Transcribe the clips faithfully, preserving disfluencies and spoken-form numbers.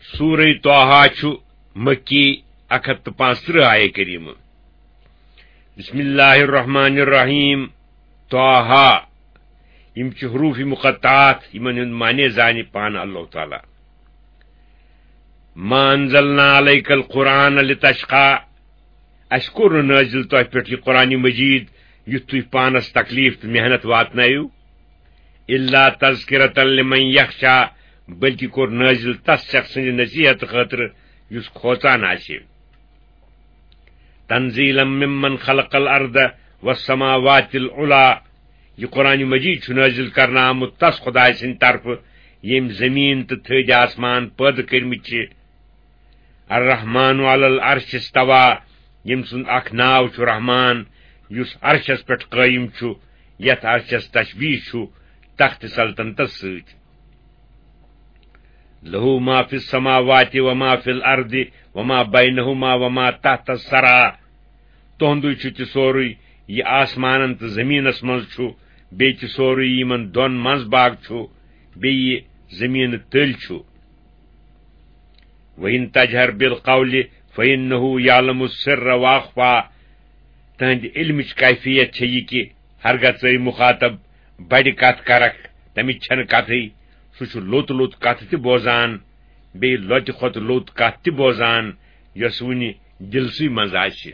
سورہ طٰہٰ چھُ مکی، اکھ ہتھ تہٕ پانٛژترٕٛہ آیہ کریمہ۔ بسم اللہ الرحمن الرحیم۔ طٰہٰ۔ یِم چھِ حروف مقطعات، یِمن ہُنٛد معنی زانہِ پانہٕ اللہ تعالیٰ۔ ما انزلنا علیک القرآن لتشقی۔ اسہِ کوٚر نہٕ نٲزِل تۄہہِ پٮ۪ٹھ یہِ قرآن مجید یُتھ تُہۍ پانس تکلیف تہٕ محنت واتنٲیِو۔ الا تذکرة لمن یخشی، بلکہ کوٚر نٲزِل تس شخص سٕنٛدِ نصیحت خٲطرٕ یُس کھوژان آسہِ۔ تنزیلا ممن خلق الارض والسماوات العلی۔ یہِ قرآن مجید چھُ نٲزِل کرنہٕ آمُت تس خدایہِ سٕنٛدِ طرفہٕ، ییٚمۍ زٔمیٖن تہٕ تھٔدۍ آسمان پٲدٕ کٔرمٕتۍ چھِ۔ الرحمن علی العرش استوی، ییٚمۍ سُنٛد اکھ ناو چھُ رحمان، یُس عرشس پٮ۪ٹھ قٲیِم چھُ، یتھ عرشس تشبیہ چھُ تخت سلطنتس سۭتۍ۔ لہ ما فی السماوات وما فی الارض وما بینہما وما تحت الثری۔ تُہُنٛدُے چھُ تہِ سورُے، یہِ آسمانن تہٕ زٔمیٖنس منٛز چھُ، بیٚیہِ تہِ سورُے یِمن دۄن منٛز باگ چھُ، بیٚیہِ یہِ زٔمیٖنہٕ تٔلۍ چھُ۔ وَإِن تَجْهَرْ بِالْقَوْلِ فَإِنَّهُ يَعْلَمُ السِّرَّ وَأَخْفَى۔ تہنٛدِ علمٕچ کیفیت چھےٚ یہِ کہِ ہرگاہ ژٕ مخاطب بڑِ کتھ کرکھ، تمِچ چھنہٕ کتھٕے، سُہ چھُ لوٚت لوٚت کتھ تہِ بوزان، بیٚیہِ لۄتہِ کھۄتہٕ لوٚت کتھ تہِ بوزان، یۄس وُنہِ دِلسٕے منٛز آسہِ۔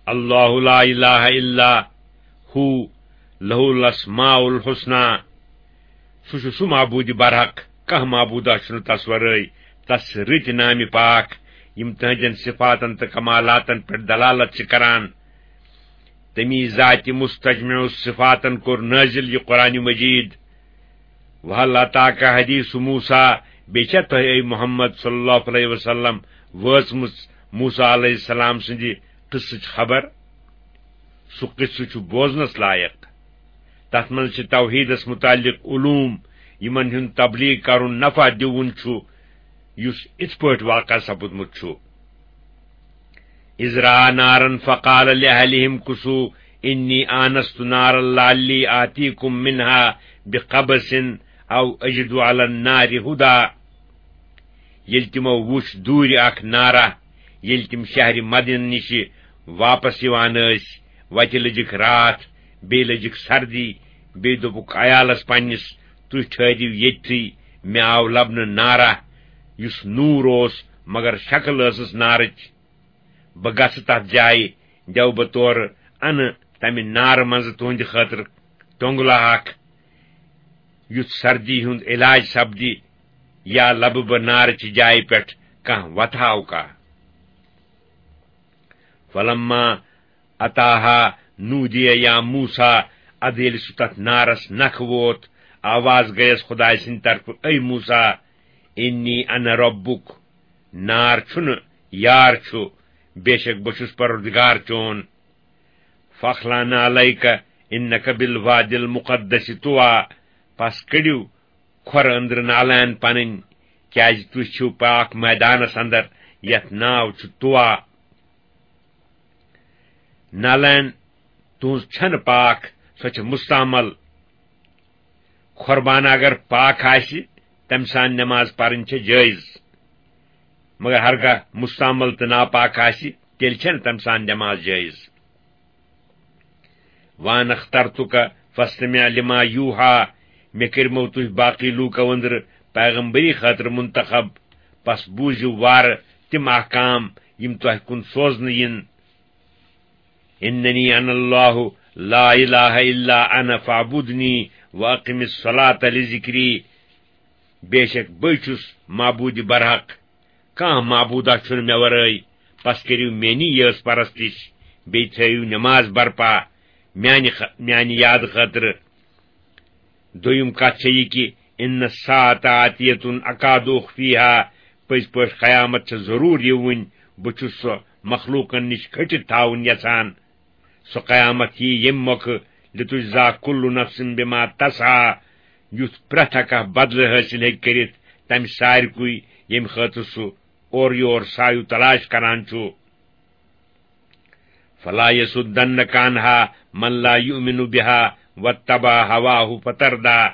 اللہ لا الہ الا ہو لہ الاسماء الحسنی۔ سُہ چھُ سُہ معبوٗدِ برحق، کانٛہہ معبوٗدا چھُنہٕ تس ورٲے، تس رٕتۍ نامہِ پاک، یِم تہنٛدٮ۪ن صفاتن تہٕ کمالاتن پٮ۪ٹھ دلالت چھِ کران۔ تمی ذاتِ مستجمع الصفاتن کوٚر نٲزِل یہِ قرآن مجید۔ وَهَلْ أَتَاكَ حَدِيثُ مُوسَى، بیٚیہِ چھا تۄہہِ، اے محمد صلی اللہ علیہ وسلم، وٲژمٕژ موسیٰ علیہ السلام سٕنٛدِ قصٕچ خبر؟ سُہ قصہٕ چھُ بوزنس لایق۔ تتھ منٛز چھِ توحیدس متعلق علوم، یِمن ہُنٛد تبلیغ کرُن نفع دِوُن چھُ، یُس اِتھ پٲٹھۍ واقع سپُدمُت چھُ۔ إِذْ رَأَىٰ نَارًا فَقَالَ لِأَهْلِهِ امْكُثُوا إِنِّي آنَسْتُ نَارًا لَعَلِّي آتِيكُم مِّنْهَا بِقَبَسٍ أَوْ أَجِدُ عَلَى النَّارِ هُدًى۔ ییٚلہِ تِمو وُچھ دوٗرِ اکھ نارا، ییٚلہِ تِم شہرِ مدینہ نِشہِ واپس یِوان ٲسۍ، وتہِ لٔجِکھ راتھ، بیٚیہِ لٔجِکھ سردی، بیٚیہِ دوٚپُکھ عیالس پننِس، "تُہۍ ٹھٔہرِو ییٚتھٕے، مےٚ آو لبنہٕ نارا، یُس نوٗر اوس، مگر شکل ٲسٕس نارٕچ۔ بہٕ گژھٕ تتھ جایہِ، دِیو بہٕ تورٕ انہٕ تمہِ نارٕ منٛزٕ تُہنٛدِ خٲطرٕ ٹۄنگلہٕ اکھ، یُتھ سردی ہُنٛد علاج سپدِ، یا لبہٕ بہٕ نارٕچہِ جایہِ پٮ۪ٹھ کانٛہہ وتھاوکا۔" فلما اتاہا نودی یا موسیٰ، ادٕ ییٚلہِ سُہ تتھ نارس نکھٕ ووت، آواز گٔیس خدایہِ سٕنٛدِ طرفہٕ، "اے موسیٰ، انی انا ربک، نار چھُنہٕ، یار چھُ، بے شک بہٕ چھُس پروردگار چون۔ فاخلع نعلیک انک بالوادی المقدس طویٰ، پس کٔڑِو کھۄرٕ أنٛدرٕ نالین پنٕنۍ، کیازِ تُہۍ چھِو پاک میدانس اندر، یتھ ناو چھُ طویٰ۔ نالین تُہنٛز چھنہٕ پاک، سۄ چھِ مستعمل۔ کھۄربانہٕ اگر پاک آسہِ، تمہِ سان نماز پرٕنۍ چھےٚ جٲیز، مگر ہرگاہ مستعمل تہٕ ناپاک آسہِ، تیٚلہِ چھنہٕ تمہِ سان نماز جٲیز۔ وَأَنَا اخْتَرْتُكَ فَاسْتَمِعْ لِمَا يُوحَىٰ، مےٚ کٔرمو تُہۍ باقٕے لوٗکو أنٛدرٕ پیغمبری خٲطرٕ منتخب، پس بوٗزِو وارٕ تِم احکام یِم تۄہہِ کُن سوزنہٕ یِن۔ إِنَّنِي أَنَا اللَّهُ لَا إِلَٰهَ إِلَّا أَنَا فَاعْبُدْنِي وَأَقِمِ الصَّلَاةَ لِذِكْرِي، بے شک بٕے چھُس معبوٗدِ برحق، کانٛہہ معبوٗدا چھُنہٕ مےٚ ورٲے، پس کٔرِو میٛٲنی یٲژ پرستش، بیٚیہِ تھٲیِو نماز برپا میٛانہِ خ-، میٛانہِ یادٕ خٲطرٕ۔ دوٚیِم کتھ چھےٚ یہِ کہِ إِنَّ السَّاعَةَ آتِیَةٌ أَكَادُ أُخْفِيهَا، پٔزۍ پٲٹھۍ قیامت چھےٚ ضروٗر یِوٕنۍ، بہٕ چھُس سۄ مخلوٗقن نِش کھٔٹِتھ تھاوٕنۍ یژھان۔ سۄ قیامت یی ییٚمہِ مۄکھٕ، لِتُجزیٰ كُلُّ نَفْسٍ بِمَا تَسْعَىٰ، یُتھ پرٛٮ۪تھ اکھ بدلہٕ حٲصِل ہیٚکہِ کٔرِتھ تمہِ سارِکُے ییٚمہِ خٲطرٕ سُہ اورٕ یور سایہِ تلاش کران چھُ۔ فَلَا يَصُدَّنَّكَ عَنْهَا مَن لَّا يُؤْمِنُ بِهَا وَاتَّبَعَ هَوَاهُ فَتَرْدَىٰ۔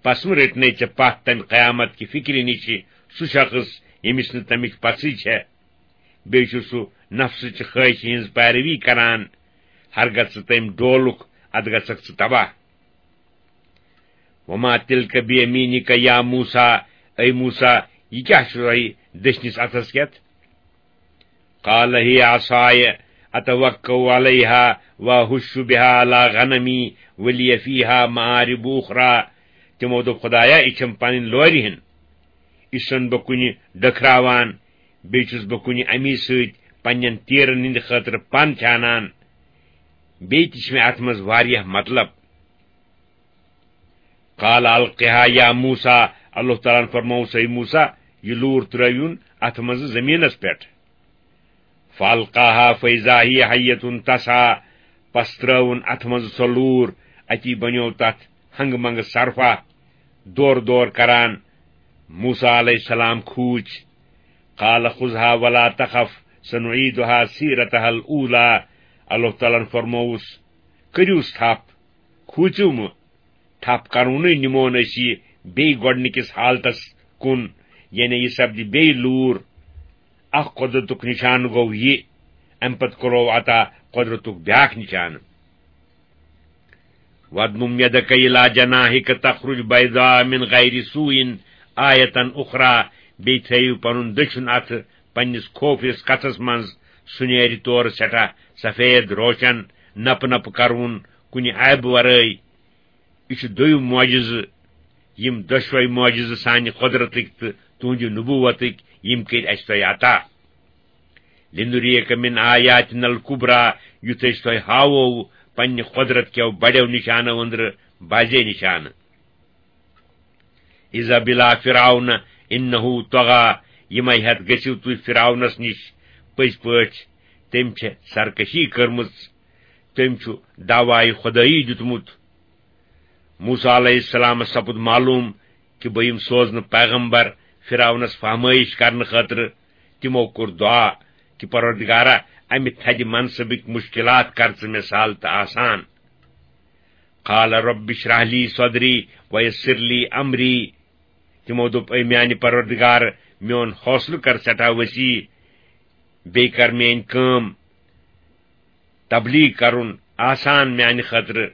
پس مہ رٔٹنے ژےٚ پتھ تمہِ قیامت کہِ فکرِ نِش سُہ شخص، ییٚمِس نہٕ تمِچ پژھٕے چھےٚ۔ بیٚیہِ چھُ سُہ نفسٕچہِ خٲہشہِ ہٕنٛز پیروی کران۔ ہرگژھ ژٕ تٔمۍ ڈولُکھ، ادٕ گژھکھ ژٕ تباہ۔ وما تلک بیمینک یا موسیٰ، اے موسیٰ، یہِ کیٛاہ چھُ تۄہہِ دٔچھنِس اتھس کٮ۪تھ؟ قال هي عصاي أتوكأ عليها وأهش بها على غنمي ولي فيها مآرب أخرى۔ تِمو دوٚپ، خدایا، یہِ چھَم پنٕنۍ لورِ ہِن، یہِ چھُسن بہٕ کُنہِ ڈٔکھراوان، بیٚیہِ چھُس بہٕ کُنہِ اَمی سۭتۍ پننٮ۪ن تیٖرن ہٕنٛدِ خٲطرٕ پن چھانان، بیٚیہِ تہِ چھِ مےٚ اتھ منٛز واریاہ مطلب۔ قال القها یا موسیٰ، اللہ تعالیٰ ہن فرموو، ہے موسیٰ، یہِ لوٗر ترٲوِن اتھ منٛز زٔمیٖنس پٮ۪ٹھ۔ فالقاها فاذا هي حية تسعى، پس ترٲوٕن اتھ منٛز سۄ لوٗر، اتی بنیوو تتھ ہنگہٕ منگہٕ صرفہ، دورٕ دورٕ کران۔ موسیٰ علیہ السلام کھوٗژۍ۔ قال خذها ولا تخف سنعيدها سيرتها الأولى، اللہ تعالیٰ ہن فرمووُس، کٔرِوس تھپھ، کھوٗژِو مہٕ، تھپھ کرونٕے نِمون أسۍ یہِ بیٚیہِ گۄڈٕنِکِس حالتس کُن، یعنی یہِ سپدِ بیٚیہِ لوٗر۔ اکھ قۄدرتُک نِشانہٕ گوٚو یہِ، اَمہِ پتہٕ کوٚرُو عطا قۄدرتُک بیٛاکھ نِشانہٕ۔ واضمم يدك إلى جناحك تخرج بيضاء من غير سوء آية أخرى، بیٚیہِ تھٲیِو پنُن دٔچھُن اَتھٕ پننِس کھوفرِس کَتھَس منٛز، سُہ نیرِ تورٕ سٮ۪ٹھاہ سفید روشن، نپہٕ نپہٕ کرُن، کُنہِ عیبہٕ ورٲے۔ یہِ چھُ دوٚیِم معجزٕ، یِم دۄشوے معجزٕ سانہِ قۄدرتٕکۍ تہٕ تُہنٛدِ نبوتٕکۍ، یِم کٔرۍ اَسہِ تۄہہِ عطا۔ لِنُرِیَکَ مِنْ آیاتِنَا الْکُبْریٰ، یُتھ أسۍ تۄہہِ ہاوو پننہِ قۄدرت کیو بڑیو نشانو أنٛدرٕ بازے نشانہٕ۔ اذهب إلى فرعون إنه طغى، یِمے ہٮ۪تھ گٔژھِو تُہۍ فرعونس نِش، پٔزۍ پٲٹھۍ تٔمۍ چھےٚ سرکشی کٔرمٕژ، تٔمۍ چھُ دعوایہِ خۄدٲیی دیُتمُت۔ موسیٰ علیہ السلامس سپُد معلوم کہِ بہٕ یِم سوزنہٕ پیغمبر فرعونس فہمٲیش کرنہٕ خٲطرٕ۔ تِمو کوٚر دعا کہِ پروردگارا، امہِ تھدِ منصبٕکۍ مشکلات کر ژٕ مےٚ سہل تہٕ آسان۔ قال رب اشرح لي صدري ويسر لي أمري۔ تِمو دوٚپ، اے میانہِ پروردگار، میون حوصلہٕ کر سٮ۪ٹھاہ وسیع، بیٚیہِ کر میٲنۍ کٲم تبلیغ کرُن آسان میانہِ خٲطرٕ۔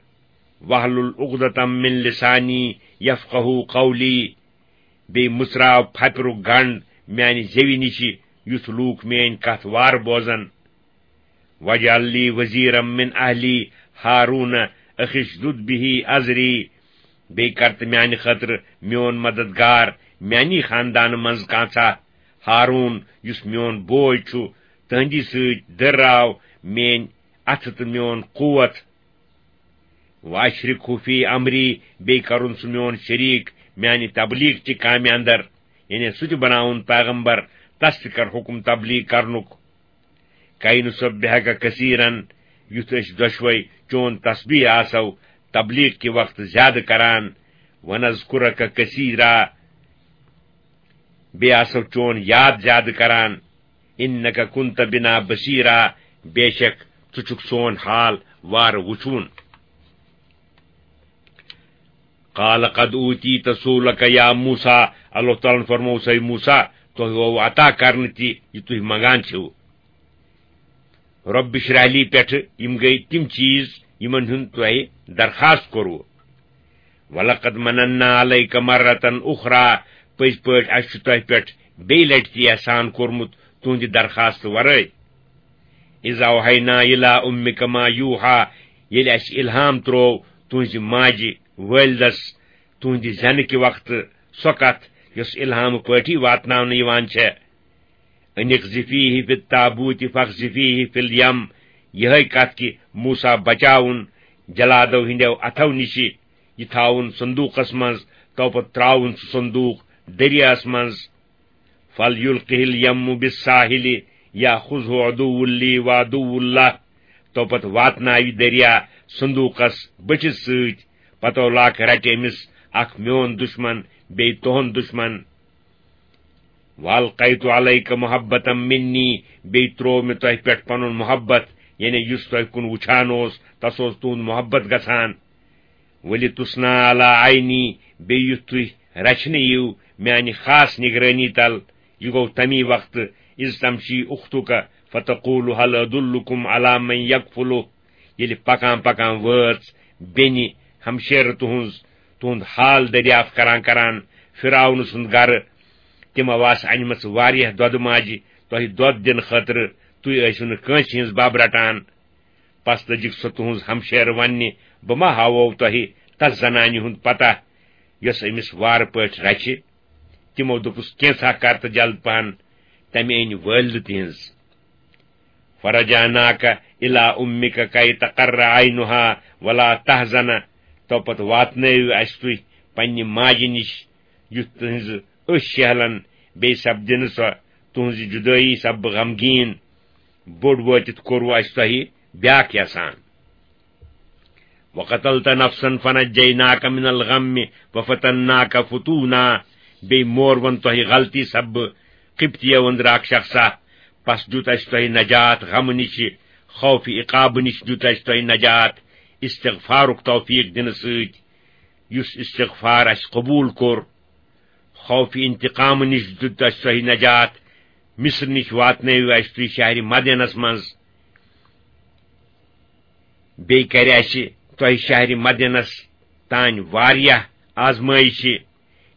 واحلل عقدة من لساني يفقهوا قولي۔ بیٚیہِ مُژراو پھپرُک گنڈ میانہِ زیوِ نِشہِ، یُتھ لوٗکھ میٲنۍ کتھ وارٕ بوزن۔ واجعل لي وزيرا من أهلي هارون أخي اشدد به أزري۔ بیٚیہِ کر تہٕ میانہِ خٲطرٕ میون مددگار، میانی خاندانہٕ منٛز کانٛژھا، ہارون، یُس میون بوے چھُ، تہنٛدی سۭتۍ دٔرراو میٲنۍ اتھٕ تہٕ میون قوت۔ واشرکہ فی امری، بیٚیہِ کرُن سُہ میون شریٖک میانہِ تبلیغ چہِ کامہِ اندر، یعنی سُہ تہِ بناوُن پیغمبر، تس تہِ کر حکم تبلیغ کرنُک۔ کئی نسبحک کثیرا، یُتھ أسۍ دۄشوے چون تسبیح آسو تبلیغ کہِ وقتہٕ زیادٕ کران، ونذکرک کثیرا، بیٚیہِ آسو چون یاد زیادٕ کران۔ انک کنت بنا بصیرا، بے شک ژٕ چھُکھ سون حال وارٕ وُچھوُن۔ قال قد اوتیت سؤلک یا موسیٰ، اللہ تعالیٰ ہن فرموو، ہے موسیٰ، تۄہہِ گوٚو عطا کرنہٕ تہِ یہِ تُہۍ منگان چھِو۔ رب اشرح لی پٮ۪ٹھٕ یِم گٔے تِم چیٖز یِمن ہُنٛد تۄہہِ درخواست کوٚروٕ۔ ولقد مننا علیک مرة اخری، پٔزۍ پٲٹھۍ اَسہِ چھُ تۄہہِ پٮ۪ٹھ بیٚیہِ لٹہِ تہِ احسان کوٚرمُت تُہنٛدِ درخواست ورٲے۔ اذ اوحینا الی امک ما یوحی، ییٚلہِ اَسہِ الہام تروو تُہنٛزِ ماجہِ والدس تُہنٛدِ زٮ۪نہٕ کہِ وقتہٕ سۄ کتھ یۄس الہامہٕ پٲٹھی واتناونہٕ یِوان چھےٚ۔ ان اقذفیہ فی التابوت فاقذفیہ فی الیم، یِہے کتھ کہِ موسیٰ بچاوُن جلادو ہٕنٛدیو اتھو نِشہِ، یہِ تھاوُن صندوقس منٛز، تو پتہٕ ترٛاوُن سُہ صندوق دٔریاہس منٛز۔ فلیلقہ الیم بالساحل یأخذہ عدو لی وعدو اللہ، تو پتہٕ واتناوِ دریا صندوقس بٔٹھِس سۭتۍ، پتو لاکھ رٹہِ أمِس اکھ میون دشمن بیٚیہِ تُہُنٛد دشمن۔ والقیت علیک محبة منی، بیٚیہِ تروو مےٚ تۄہہِ پٮ۪ٹھ پنُن محبت، یعنی یُس تۄہہِ کُن وُچھان اوس، تس اوس تُہُنٛد محبت گژھان۔ وَلِتُصْنَعَ عَلَى عَيْنِي، بیٚیہِ یُتھ تُہۍ رچھنہٕ یِیِو میانہِ خاص نگرٲنی تل۔ یہِ گوٚو تَمی وقتہٕ، اِذْ تَمْشِي أُخْتُكَ فَتَقُولُ هَلْ أَدُلُّكُمْ عَلَى مَنْ يَكْفُلُهُ، ییٚلہِ پکان پکان وٲژ بیٚنہِ ہمشیرٕ تُہنٛز، تُہُنٛد حال دٔریافت کران کران فرعون سُنٛد گرٕ۔ تِمو آسہٕ انِمژٕ واریاہ دۄدٕ ماجہِ تۄہہِ دۄد دِنہٕ خٲطرٕ، تُہۍ ٲسِو نہٕ کٲنٛسہِ ہٕنٛز بب رٹان۔ پس لٔجِکھ سۄ تُہنٛز ہمشیرٕ وننہِ، "بہٕ ما ہاوو تۄہہِ تس زنانہِ ہُنٛد پتہ، یۄس أمِس وارٕ پٲٹھۍ رچھِ؟" تِمو دوٚپُس، "کینٛژھا کر تہٕ جلد پہن۔" تمہِ أنۍ والدٕ تِہنٛز۔ "فَرَجَعْنَاكَ إِلَى أُمِّكَ كَيْ تَقَرَّ عَيْنُهَا وَلَا تَحْزَنَ"، تو پتہٕ واتنٲوِو اسہِ تُہۍ پننہِ ماجہِ نِش، یُتھ تُہنٛزٕ أچھ شیہلن، بیٚیہِ سپدِ نہٕ سۄ تُہنٛزِ جُدٲیی سببہٕ غمگیٖن۔ بوٚڑ وٲتِتھ کوٚروٕ اسہِ تۄہہِ بیاکھ احسان۔ "وَقَتَلْتَ نَفْسًا فَنَجَّيْنَاكَ مِنَ الْغَمِّ وَفَتَنَّاكَ فُتُونًا"، بیٚیہِ مورون تۄہہِ غلطی سببہٕ قبطیو أنٛدرٕ اکھ شخصا، پس دیُت اسہِ تۄہہِ نجات غمہٕ نِشہِ، خوفِ عقابہٕ نِش دیُت اسہِ تۄہہِ نجات، استغفارُک توفیق دِنہٕ سۭتۍ، یُس استغفار اسہِ قبوٗل کوٚر۔ خوفِ انتقامہٕ نِش دیُت اسہِ تۄہہِ نجات، مصر نِش واتنٲوِو اسہِ تُہۍ شہرِ مدینس منٛز۔ بیٚیہِ کرِ اسہِ تۄہہِ شہرِ مدینس تانۍ واریاہ آزمٲیشہِ،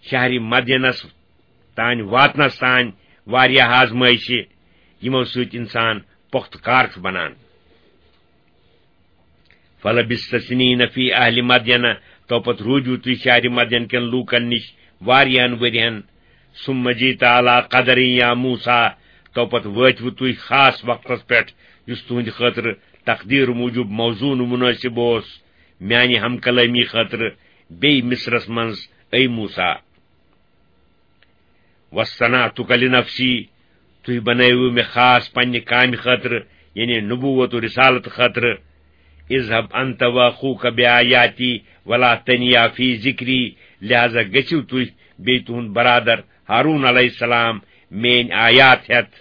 شہرِ مدینس تانۍ واتنس تانۍ واریاہ آزمٲیشہِ، یِمو سۭتۍ انسان پۄختہٕ کار چھُ بنان۔ "فَلَبِثْتَ سِنِينَ فِي أَهْلِ مَدْيَنَ"، تو پتہٕ روٗدِو تُہۍ شہرِ مدین کٮ۪ن لوٗکن نِش واریاہن ؤرین۔ "ثُمَّ جِئْتَ عَلَى قَدَرٍ يَا مُوسَىٰ"، تو پتہٕ وٲتِوٕ تُہۍ خاص وقتس پٮ۪ٹھ، یُس تُہنٛدِ خٲطرٕ تقدیٖر موٗجوٗب موزوٗن و مُنٲسِب اوس، میانہِ ہم کلٲمی خٲطرٕ بیٚیہِ مصرس منٛز، اے موسیٰ۔ "وَاصْطَنَعْتُكَ لِنَفْسِي"، تُہۍ بنٲوِو مےٚ خاص پننہِ کامہِ خٲطرٕ، یعنی نبوت و رسالت خٲطرٕ۔ "اذْهَبْ أَنْتَ وَأَخُوكَ بِآيَاتِي وَلَا تَنِيَا فِي ذِكْرِي"، لہذا گٔژھِو تُہۍ بیٚیہِ تُہُنٛد برادر ہارون علیہ السلام میٲنۍ آیات ہٮ۪تھ،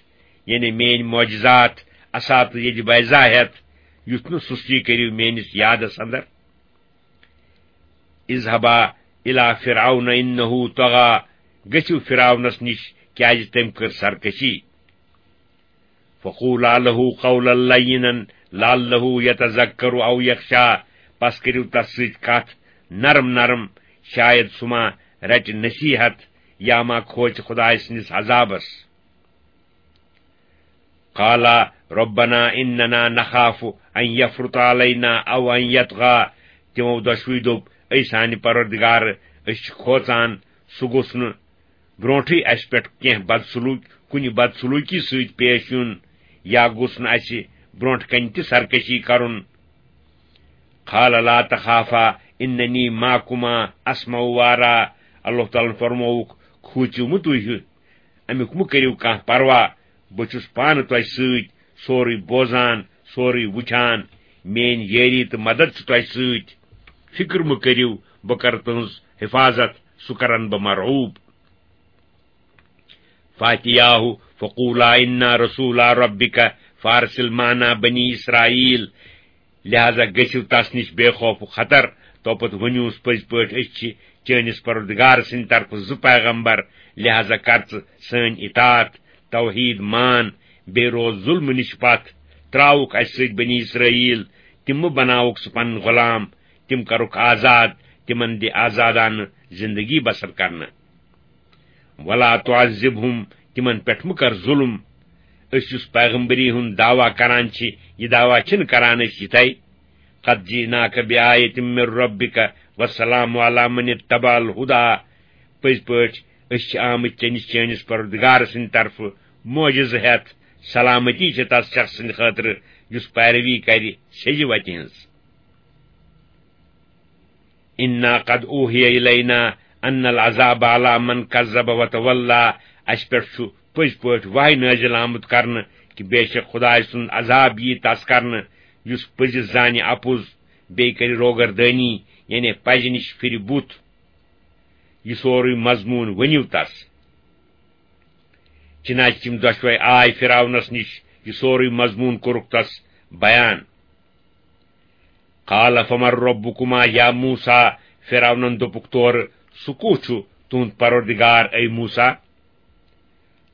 یعنی میٲنۍ معجزات، اساطِ یج بیضا ہٮ۪تھ، یُتھ نہٕ سُستی کٔرِو میٲنِس یادس اندر۔ "اذْهَبَا إِلَى فِرْعَوْنَ إِنَّهُ طَغَىٰ"، گٔژھِو فرعونس نِش، کیازِ تٔمۍ کٔر سرکشی۔ "فَقُولَا لَهُ قَوْلًا لَيِّنًا لَعَلَّهُ يَتَذَكَّرُ أَوْ يَخْشَىٰ"، پس کٔرِو تس سۭتۍ کتھ نرم نرم، شاید سُہ ما رٹہِ نصیحت یا ما کھوژِ خدایہِ سٕنٛدِس عذابس۔ "قَالَا رَبَّنَا إِنَّنَا نَخَافُ أَن يَفْرُطَ عَلَيْنَا أَوْ أَن يَطْغَىٰ"، تِمو دۄشوٕے دوٚپ، "اے سانہِ پروردگار، أسۍ چھِ کھوژان سُہ گوٚژھ نہٕ برونٹھٕے اسہِ پٮ۪ٹھ کینٛہہ بدسلوٗک، کُنہِ بدسلوٗکی سۭتۍ پیش یُن، یا گوٚژھ نہٕ اسہِ برونٹھ کنہِ تہِ سرکشی کرُن۔" "قَالَ لَا تَخَافَا إِنَّنِي مَعَكُمَا أَسْمَعُ وَأَرَىٰ"، اللہ تعالیٰ ہن فرمووُکھ، "کھوٗژِو مہٕ تُہۍ ہیوٗ، امیُک مہٕ کٔرِو کانٛہہ پروا، بہٕ چھُس پانہٕ تۄہہِ سۭتۍ، سورُے بوزان، سورُے وٕچھان، میٲنۍ یٲری تہٕ مدد چھُ تۄہہِ سۭتۍ، فکر مہٕ کٔرِو، بہٕ کرٕ تُہنٛز حفاظت، سُہ کرن بہٕ مرعوب۔" "فَأْتِيَاهُ فَقُولَا إِنَّا رَسُولَا رَبِّكَ فَأَرْسِلْ مَعَنَا بَنِي إِسْرَائِيلَ"، لہذا گٔژھِو تس نِش بے خوف و خطر، توپتہٕ ؤنِوس، "پٔزۍ پٲٹھۍ أسۍ چھِ چٲنِس پروردگار سٕنٛدِ طرفہٕ زٕ پیغمبر، لہذا کر ژٕ سٲنۍ اطاعت، توحید مان، بیٚیہِ روز ظلمہٕ نِش پتھ، ترٛاوُکھ اسہِ سۭتۍ بنی اسرائیل، تِم مہٕ بناوُکھ ژٕ پنٕنۍ غلام، تِم کرُکھ آزاد، تِمن دِ آزادانہٕ زندگی بسر کرنہٕ۔ وَلَا تُعَذِّبْهُمْ"، تِمن پٮ۪ٹھ مہٕ کر ظلم۔ أسۍ یُس پیغمبری ہُنٛد دعویٰ کران چھِ، یہِ دعویٰ چھِنہٕ کران أسۍ یِتھے۔ "قَدْ جِئْنَاكَ بِآيَةٍ مِّن رَّبِّكَ وَالسَّلَامُ عَلَى مَنِ اتَّبَعَ الْهُدَىٰ"، پٔزۍ پٲٹھۍ أسۍ چھِ آمٕتۍ چٲنِس، چٲنِس پروردگار سٕنٛدِ طرفہٕ معجزٕ ہٮ۪تھ، سلامتی چھِ تس شخص سٕنٛدِ خٲطرٕ یُس پیروی کرِ سیٚزِ وتہِ ہٕنٛز۔ "إِنَّا قَدْ أُوحِيَ إِلَيْنَا أَنَّ الْعَذَابَ عَلَى مَنْ كَذَّبَ وَتَوَلَّىٰ"، اسہِ پٮ۪ٹھ چھُ پٔزۍ پٲٹھۍ وحی نٲزِل آمُت کرنہٕ کہِ بے شک خدایہِ سُنٛد عذاب ییہِ تس کرنہٕ یُس پٔزِس زانہِ اپُز، بیٚیہِ کرِ روگردٲنی، یعنی پزِ نِش پھرِ بُتھ۔ یہِ سورُے مضموٗن ؤنِو تس۔ چنانچہ تِم دۄشوے آے فرعونس نِش، یہِ سورُے مضموٗن کوٚرُکھ تس بیان۔ قال فمن ربكما یا موسیٰ، فرعونن دوٚپُکھ تورٕ، سُہ کُس چھُ تُہُنٛد پروردگار اے موسیٰ؟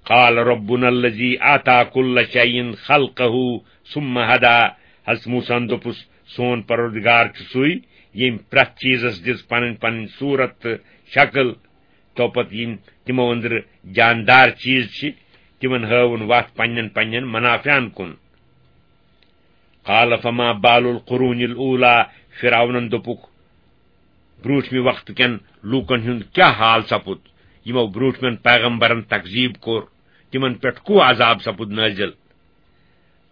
قال ربنا الذي اعطى كل شيء خلقه ثم هدى۔ حضرت موسیٰ ہن دوٚپُس، سون پروردگار چھُ سُے، ییٚمۍ پرٛٮ۪تھ چیٖزس دِژ پنٕنۍ پنٕنۍ صوٗرت تہٕ شکل۔ تو پتہٕ یِم تِمو أنٛدرٕ جاندار چیٖز چھِ، تِمن ہٲوُن وتھ پننٮ۪ن پننٮ۪ن منافعن کُن۔ قال فما بال القرون الاولى، فرعونن دوٚپُکھ، برٛوٗنٛٹھمہِ وقتہٕ کٮ۪ن لوٗکن ہُنٛد کیٛاہ حال سپُد، یِمو برٛوٗنٛٹھمٮ۪ن پیغمبرن تکذیٖب کوٚر، تِمن پٮ۪ٹھ کُس عذاب سپُد نٲزِل؟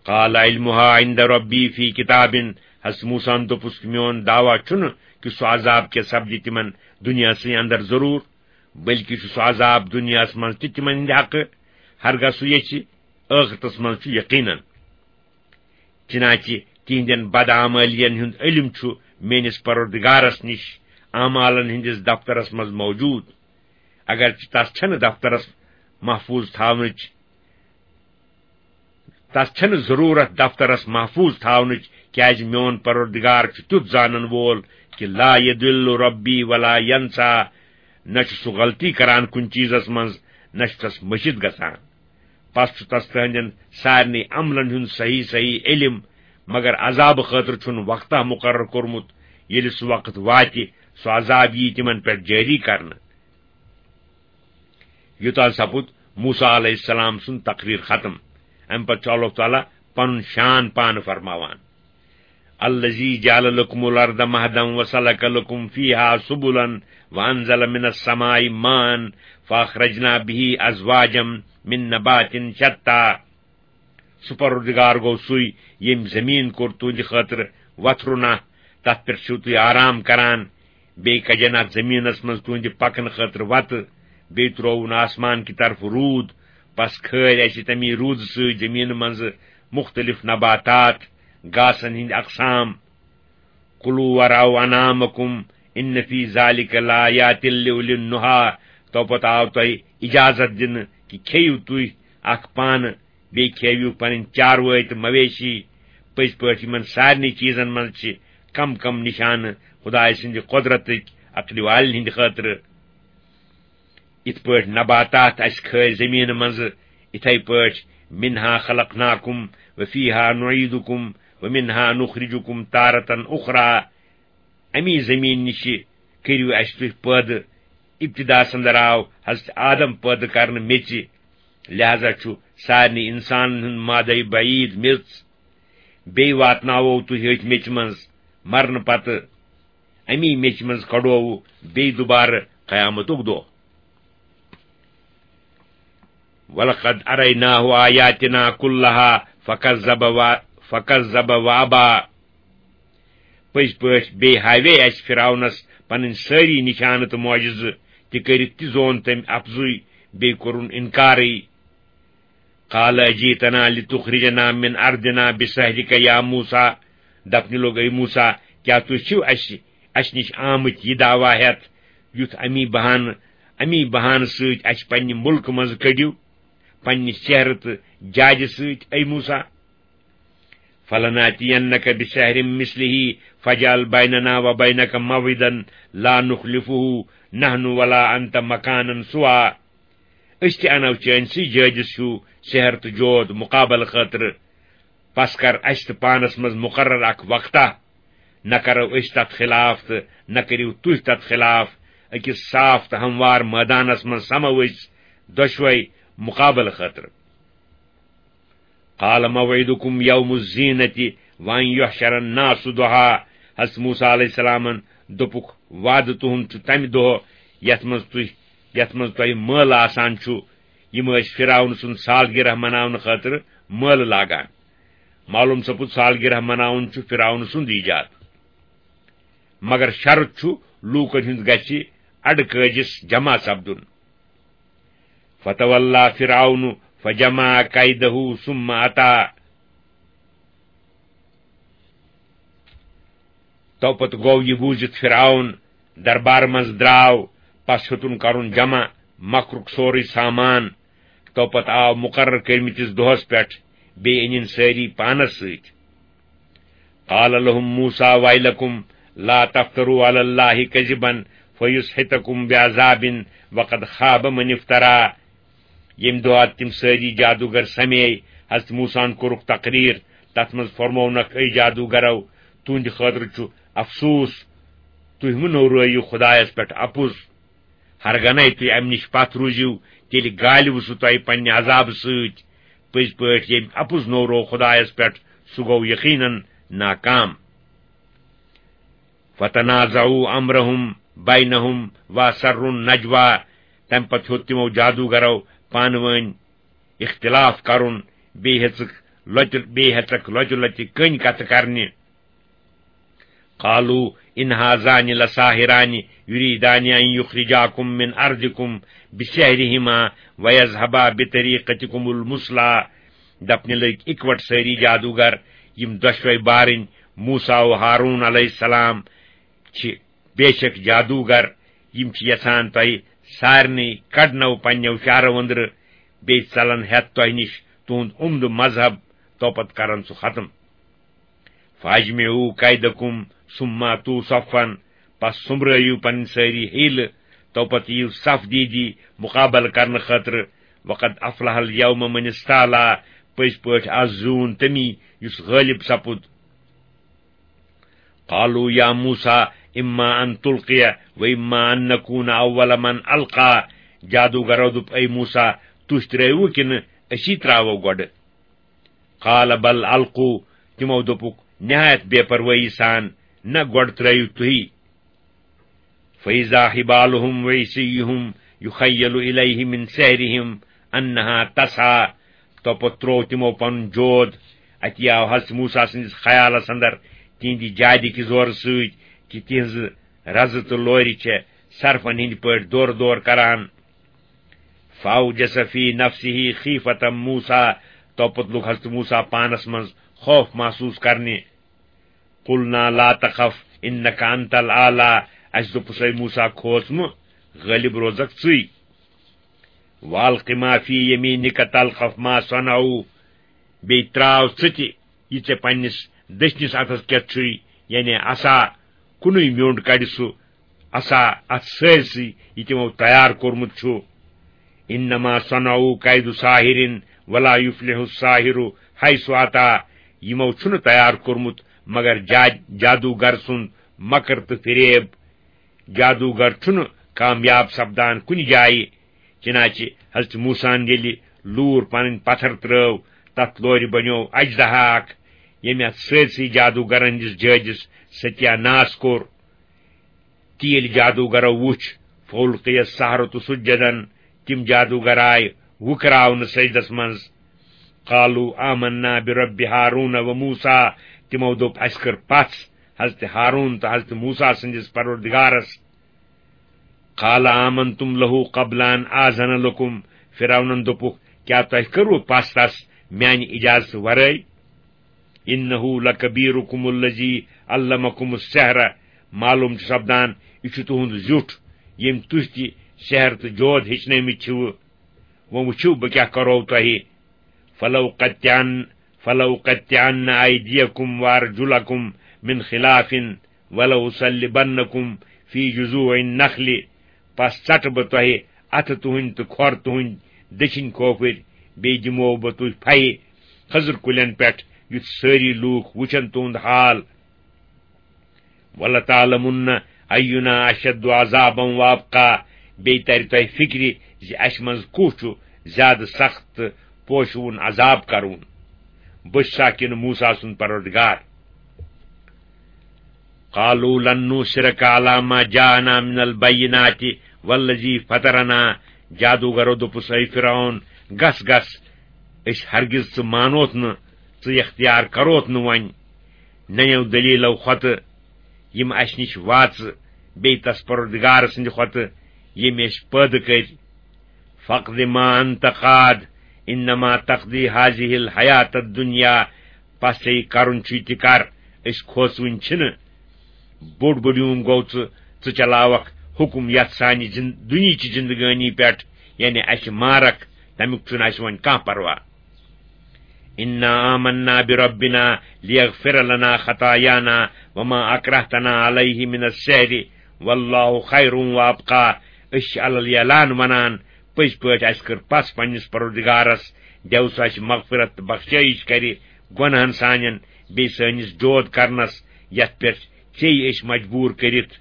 قال علمها عند ربي في كتاب۔ حضرت موسیٰ ہن دوٚپُس، میون دعویٰ چھُنہٕ کہِ سُہ عذاب کیٛاہ سپدِ تِمن دُنیاہسٕے اندر ضروٗر، بلکہِ چھُ سُہ عذاب دُنیاہس منٛز تہِ تِمن ہٕنٛدِ حقہٕ، ہرگاہ سُہ یژھِ، ٲخرتس منٛز چھُ یقیناً۔ چنانچہ تہنٛدٮ۪ن بدعملین ہُنٛد علم چھُ میٲنِس پروردگارس نِش اعمالن ہٕنٛدِس دفترس منٛز موجود، اگرچہ تس چھنہٕ دفترس محفوظ تھاونٕچ، تس چھنہٕ ضرورت دفترس محفوظ تھاونٕچ، کیازِ میون پروردگار چھُ تیُتھ زانن وول کہِ لا یضل ربی ولا ینسیٰ، نہ چھُ سُہ غلطی کران کُنہِ چیٖزس منٛز، نہ چھُ تس مٔشِتھ گژھان۔ پس چھُ تس تہنٛدٮ۪ن سارنٕے عملن ہُنٛد صحیح صحیح علم، مگر عذابہٕ خٲطرٕ چھُنہٕ وقتہ مقرر کوٚرمُت، ییٚلہِ سُہ وقت واتہِ، سُہ عذاب ییہِ تِمن پٮ۪ٹھ جٲری کرنہٕ۔ یوٚتام سپُد موسیٰ علیہ السلام سُنٛد تقریر ختم۔ امہِ پتہٕ چھُ اللہ تعالیٰ پنُن شان پانہٕ فرماوان۔ الذي جعل لكم الأرض مهدا وسلك لكم فيها سبلا وأنزل من السماء ماء فأخرجنا به أزواجا من نبات شتى۔ سُہ پروردگار گوٚو سُے، ییٚمۍ زٔمیٖن کوٚر تُہنٛدِ خٲطرٕ وتھرُنا، تتھ پٮ۪ٹھ چھِو تُہۍ آرام کران۔ بیٚیہِ کجن اتھ زٔمیٖنس منٛز تُہنٛدِ پکنہٕ خٲطرٕ وتہٕ، بیٚیہِ ترٛووُن آسمان کہِ طرفہٕ روٗد، پس کھٲلۍ اسہِ تمی روٗدٕ سۭتۍ زٔمیٖنہٕ منٛزٕ مُختٔلِف نباتات، گاسن ہٕنٛدۍ اقسام۔ کلوا ورعوا انعامکم ان فی ذلک لآیات لأولی النہی۔ تو پتہٕ آو تۄہہِ اجازت دِنہٕ کہِ کھیٚیِو تُہۍ اکھ پانہٕ، بیٚیہِ کھیٚیِو پنٕنۍ چاروٲے تہٕ مویشی۔ پٔزۍ پٲٹھۍ یِمن سارنٕے چیٖزن منٛز چھِ کم کم نشانہٕ خدایہِ سٕنٛدِ قۄدرتٕکۍ عقلہِ والٮ۪ن ہٕنٛدِ خٲطرٕ۔ یِتھ پٲٹھۍ نباتات اَسہِ کھٲلۍ زٔمیٖنہٕ منٛزٕ، یِتھے پٲٹھۍ منها خلقناکم وفیها نعیدکم ومنها نخرجکم تارة اخری۔ اَمی زٔمیٖن نِشہِ کٔرِو اَسہِ تُہۍ پٲدٕ۔ ابتداہس اندر آو حضرت آدم پٲدٕ کرنہٕ میٚژِ، لہذا چھُ سارنٕے انسانن ہُنٛد مادے بعید میٚژ۔ بیٚیہِ واتناوو تُہۍ أتھۍ میٚژِ منٛز مرنہٕ پتہٕ۔ اَمی میٚژِ منٛز کڑووٕ بیٚیہِ دوبارٕ قیامتُک دۄہ۔ ولقد اریناہ آیاتنا کلہا فکذب و، فکذب وابا۔ پٔزۍ پٲٹھۍ بیٚیہِ ہاوے اَسہِ فرعونس پنٕنۍ سٲری نشانہٕ تہٕ معجزٕ، تہِ کٔرِتھ تہِ زون تٔمۍ اپزُے، بیٚیہِ کوٚرُن انکارٕے۔ قال اجیتنا لتخرجنا من ارضنا بسحرک یا موسیٰ۔ دپنہِ لوٚگ، اے موسیٰ، کیٛاہ تُہۍ چھِو اَسہِ، اَسہِ نِش آمٕتۍ یہِ دعویٰ ہٮ۪تھ، یُتھ اَمی بہانہٕ، اَمی بہانہٕ سۭتۍ اَسہِ پننہِ مُلکہٕ منٛزٕ کٔڑِو، پننہِ سحرٕ تہٕ جادِ سۭتۍ، اے موسیٰ؟ فلناتینک بسحر مثلہ فاجعل بیننا وبینک موعدا لا نخلفہ نحن ولا انت مکانا سویٰ۔ أسۍ تہِ اَنو چٲنۍ سٕے جٲدِس ہیوٗ سحر تہٕ جود مُقابلہٕ خٲطرٕ۔ پس کر اَسہِ تہٕ پانس منٛز مُقرر اکھ وقتہ۔ نہ کرو أسۍ تتھ خلاف تہٕ نہ کٔرِو تُہۍ تتھ خلاف۔ أکِس صاف تہٕ ہموار مٲدانس منٛز سمو أسۍ دۄشوے مُقابلہٕ خٲطرٕ۔ قال موعدکم یوم الزینۃ وان یحشر الناس ضحیٰ۔ حضرت موسیٰ علیہ السلامن دوٚپُکھ، وعدٕ تُہُنٛد چھُ تَمہِ دۄہ یَتھ منٛز تُہۍ، یَتھ منٛز تۄہہِ مٲلہٕ آسان چھُ۔ یِم ٲسۍ فرعون سُنٛد سالگرہ مناونہٕ خٲطرٕ مٲلہٕ لاگان۔ معلوم سپُد، سالگرہ مناوُن چھُ فرعون سُنٛد ایجاد۔ مگر شرط چھُ، لوٗکن ہُنٛد گژھِ اَڈٕ کٲجِس جمع سپدُن۔ فتولى فرعون فجمع كيده ثم أتى۔ تو پتہٕ گوٚو یہِ بوٗزِتھ فرعون دربار منٛز درٛاو، پس ہیوٚتُن کرُن جمع مکرُک سورُے سامان۔ تو پتہٕ آو مُقرر کٔرمٕتِس دۄہس پٮ۪ٹھ، بیٚیہِ أنِن سٲری پانس سۭتۍ۔ قال لهم موسى ويلكم لا تفتروا على الله كذبا فيسحتكم بعذاب وقد خاب من افترى۔ ییٚمہِ دۄہ تِم سٲری جادوگر سمے، حضرت موسیٰ ہن کوٚرُکھ تقریر، تتھ منٛز فرموونکھ، اے جادوگرو، تُہنٛدِ خٲطرٕ چھُ افسوس، تُہۍ مہٕ نوٚورٲیِو خدایس پٮ۪ٹھ اپُز۔ ہرگنے تُہۍ امہِ نِش پتھ روٗزِو، تیٚلہِ گالِوٕ سُہ تۄہہِ پننہِ عذابہٕ سۭتۍ۔ پٔزۍ پٲٹھۍ ییٚمۍ اپُز نوٚوروو خدایس پٮ۪ٹھ، سُہ گوٚو یقیناً ناکام۔ فتنازعوا امرهم بينهم واسروا النجوى۔ تمہِ پتہٕ ہیوٚت تِمو جادوگرو پانہٕ وٲنۍ اختلاف کرُن، بیٚیہِ ہیٚژٕکھ لۄتہِ، بیٚیہِ ہیٚژٕکھ لۄتہِ لۄتہِ کٔنۍ کتھٕ کرنہِ۔ قالوا إن هذان لساحران يريدان أن يخرجاكم من أرضكم بسحرهما ويذهبا بطريقتكم المثلى۔ دپنہِ لٔگۍ اِکوٹ سٲری جادوگر، یِم دۄشوے بارٕنۍ موسیٰ و ہارون علیہ السلام چھِ بے شک جادوگر، یِم چھِ یژھان تۄہہِ سارنٕے کڑنو پننیو شہرو أنٛدرٕ، بیٚیہِ ژلن ہٮ۪تھ تۄہہِ نِش تُہُنٛد عمدٕ مذہب، توپتہٕ کرن سُہ ختم۔ فاجمعوا کیدکم ثم اتوا صفا، پس سوٚمبرٲیِو پنٕنۍ سٲری حیلہٕ، توپتہٕ یِیِو صف دیٖدی مُقابلہٕ کرنہٕ خٲطرٕ۔ وقد افلح الیوم من استعلا، پٔزۍ پٲٹھۍ از زیوٗن تٔمی یُس غٲلب سپُد۔ قالوا یا موسیٰ اما ان تلقی و اما ان نکون اول من القی۔ جادوگرو دوٚپ، اے موسیٰ، تُہۍ ترٲیوٕ کِنہٕ أسی ترٛاوو گۄڈٕ؟ قال بل القوا، تِمو دوٚپُکھ نہایت بے پروٲیی سان، نہ، گۄڈٕ ترٲیِو تُہی۔ فاذا حبالهم وعصيهم يخيل اليه من سحرهم انها تسعى۔ توپتہٕ تروو تِمو پنُن جود۔ اتی آو حضرت موسیٰ سٕنٛدِس خیالس اندر تِہنٛدِ جادِ کہِ زورٕ سۭتۍ کہِ تِہنٛزٕ رزٕ تہٕ لورِ چھےٚ سرفن ہٕنٛدۍ پٲٹھۍ دورٕ دورٕ کران۔ فأوجس في نفسه خيفة موسى، توپتہٕ لوٚگ حضرت موسیٰ پانس منٛز خوف محسوس کرنہِ۔ قلنا لا تخف إنك أنت الأعلى، اسہِ دوٚپُس، اے موسیٰ، کھوژ مہٕ، غٲلب روزکھ ژٕے۔ وألق ما في يمينك تلقف ما صنعوا، بیٚیہِ ترٛاو ژٕ تہِ یہِ ژےٚ پننِس دٔچھنِس اتھس کٮ۪تھ چھُے، یعنی عصا، کُنُے میوٚنٛڈ کڑِ سُہ عصا اتھ سٲرسٕے، یہِ تِمو تیار کوٚرمُت چھُ۔ انما صنعوا كيد ساحر ولا يفلح الساحر حيث أتى۔ یِمو چھُنہٕ تیار کوٚرمُت مگر جا-، جادوگر سُنٛد مکر تہٕ فریب۔ جادوگر چھُنہٕ کامیاب سپدان کُنہِ جایہِ۔ چنانچہ حضرت موسیٰ ہن ییٚلہِ لوٗر پنٕنۍ پتھر ترٲو، تتھ لورِ بنیوو اجدہا اکھ، ییٚمۍ اتھ سٲرسٕے جادوگرن ہٕنٛدِس جہازس ستیا ناس کوٚر۔ تہٕ ییٚلہِ جادوگرو وُچھ، فألقي السحرة سجدا، تِم جادوگر آیہِ وُکراونہٕ سجدس منٛز۔ قالوا آمنا برب هارون وموسى، تِمو دوٚپ، اسہِ کٔر پژھ حضرت ہارون تہٕ حضرت موسیٰ سٕنٛدِس پروردگارس۔ قال آمنتم له قبل أن آذن لكم، فرعونن دوٚپُکھ، کیٛاہ تۄہہِ کٔروٕ پژھ تس میانہِ اجازتہٕ ورٲے؟ إنه لكبيركم الذي علمكم السحر، معلوم چھُ سپدان، یہِ چھُ تُہُنٛد زیُٹھ، ییٚمۍ تُہۍ تہِ سحر تہٕ جود ہیٚچھنٲومٕتۍ چھِوٕ۔ وۄنۍ وٕچھِو، بہٕ کیٛاہ کرو تۄہہِ۔ فلأقطعن، فلأقطعن أيديكم وأرجلكم من خلاف ولأصلبنكم في جذوع النخل۔ پس ژٹہٕ بہٕ تۄہہِ اتھٕ تُہنٛدۍ تہٕ کھۄر تُہنٛدۍ دٔچھِنۍ کھوفٕرۍ، بیٚیہِ دِمو بہٕ تُہۍ پھیہِ کھٔزٕر کُلٮ۪ن پٮ۪ٹھ، یُتھ سٲری لوٗکھ وٕچھن تُہُنٛد حال۔ ولتعلمن أينا أشد عذابا وأبقى، بیٚیہِ ترِ تۄہہِ فِکرِ زِ اسہِ منٛز کُس چھُ زیادٕ سخت تہٕ پوشوُن عذاب کرون۔ بہٕ چھُسا کِنہٕ موسیٰ سُنٛد پروردگار؟ قالوا لن نؤثرك على ما جاءنا من البينات والذي فطرنا۔ جادوگرو دوٚپُس، اے فرعون، گژھ گژھ، أسۍ ہرگز ژٕ مانوتھ نہٕ، ژٕ اختیار کروتھ نہٕ وۄنۍ۔ ننیو دلیلو کھۄتہٕ یِم اسہِ نِش واژٕ، بیٚیہِ تس پروردگار سٕنٛدِ کھۄتہٕ ییٚمۍ اسہِ پٲدٕ کٔرۍ۔ فاقض ما انت قاض انما تقضي هذه الحياة الدنيا۔ پس ژےٚ یہِ کرُن چھُے تہِ کر، أسۍ کھوژوٕنۍ چھِنہٕ۔ بوٚڑ بلیوم گوٚو ژٕ، ژٕ چلاوکھ حُکُم یتھ سانہِ زِن-، دُنیہٕچہِ زندگٲنی پٮ۪ٹھ، یعنی اسہِ مارکھ، تمیُک چھُنہٕ اسہِ وۄنۍ کانٛہہ پرواہ۔ انا آمنا بربنا لیغفر لنا خطایانا وما اکرہتنا علیہ من السحر واللہ خیر وابقی۔ أسۍ چھِ علل اعلان ونان، پٔزۍ پٲٹھۍ اَسہِ کٔر پژھ پننِس پروردگارس، دیو سُہ اَسہِ مغفرت تہٕ بخشٲیِش کرِ گۄنہن سانٮ۪ن، بیٚیہِ سٲنِس جود کرنس، یتھ پٮ۪ٹھ ژیٚیہِ أسۍ مجبوٗر کٔرِتھ۔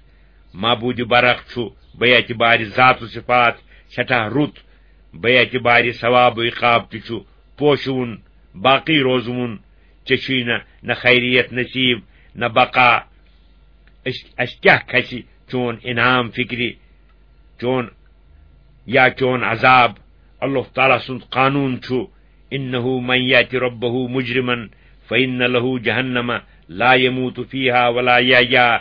معبود برحق چھُ بے اعتبارِ ذات و صفات سٮ۪ٹھاہ رُت، بے اعتبارِ ثواب و عقاب تہِ چھُ پوشوُن، باقی روزوُن۔ ژےٚ چھُے نہ، نہ خیریت نصیب، نہ بقا۔ أسۍ، اَسہِ کیٛاہ کھسہِ چون انعام فکرِ، چون یا چون عذاب؟ اللہ تعالیٰ سُنٛد قانون چھُ، انہ من یات ربہ مجرما فان لہ جہنم لا یموت فیہا ولا یحیا۔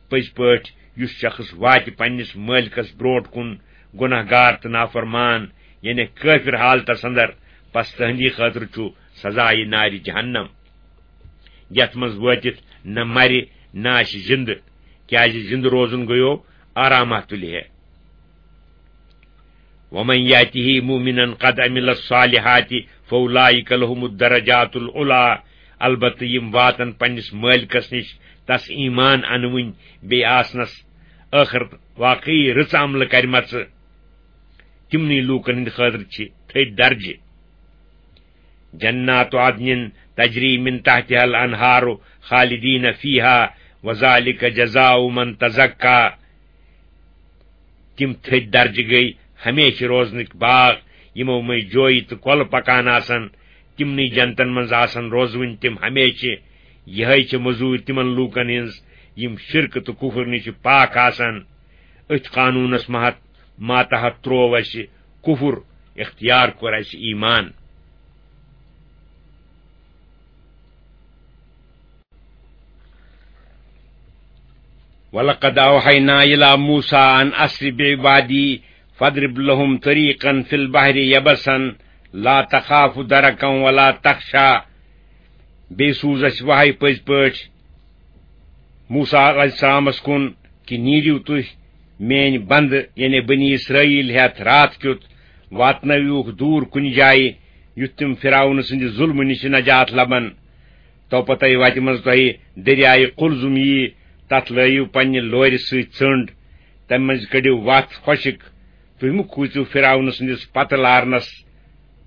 پٔزۍ پٲٹھۍ یُس شخص واتہِ پننِس مٲلکس برونٛٹھ کُن گناہ گار تہٕ نافرمان، یعنی کٲفر حالتس اندر، پس تہندی خٲطرٕ چھُ سزا یہِ نارِ جہنم، یتھ منٛز وٲتِتھ نہ مرِ نہ آسہِ زندٕ، کیازِ زندٕ روزُن گوٚیو آرامہ تُلہِ ہے۔ ومن یاته مؤمنا قد عمل الصالحات فاولئک لهم الدرجات العلی۔ البتہ یِم واتن پننِس مٲلکس نِش تس ایمان انوٕنۍ بیٚیہِ آسنس ٲخرت واقعی رٕژ عملہٕ کرِمژٕ، تِمنٕے لوٗکن ہٕنٛدِ خٲطرٕ چھِ تھٔدۍ درجہِ۔ جنات عدن تجری من تحتها الانہار خالدین فیہا وذالک جزاء من تزکی۔ تِم تھٔدۍ درجہٕ گٔے ہمیشہِ روزنٕکۍ باغ، یِمو مٔنٛزۍ جویہِ تہٕ کۄلہٕ پکان آسن۔ تِمنٕے جنتن منٛز آسن روزوٕنۍ تِم ہمیشہِ۔ یِہے چھِ مٔزوٗرۍ تِمن لوٗکن ہٕنٛز، یِم شرک تہٕ کفر نِش پاک آسن۔ أتھۍ قانوٗنس مہت-، ماتحت تروو اَسہِ کفر، اختیار کوٚر اَسہِ ایمان۔ وَلَقَدْ أَوْحَيْنَا إِلَى مُوسَىٰ أَنْ أَسْرِ بِعِبَادِي فَاضْرِبْ لَهُمْ طَرِيقًا فِي الْبَحْرِ يَبَسًا لَا تَخَافُ دَرَكًا وَلَا تَخْشَىٰ۔ بیٚیہِ سوٗز اَسہِ وحی پٔزۍ پٲٹھۍ موسیٰ علیہ السلامس کُن کہِ نیٖرِو تُہۍ میٲنۍ بندٕ، یعنی بنی اسرائیل ہٮ۪تھ راتھ کیُتھ، واتنٲوِوکھ دوٗر کُنہِ جایہِ، یُتھ تِم فرعون سٕنٛدِ ظُلمہٕ نِش نجات لبن۔ توپتے وتہِ منٛز تۄہہِ دٔریایہِ قلزم ییہِ، تتھ لٲیِو پننہِ لورِ سۭتۍ ژٔنٛڈ، تمہِ منٛزِ کٔڑِو وتھ خۄشِک۔ تُہۍ مہٕ کھوٗژِو فرعون سٕنٛدِس پتہٕ لارنس،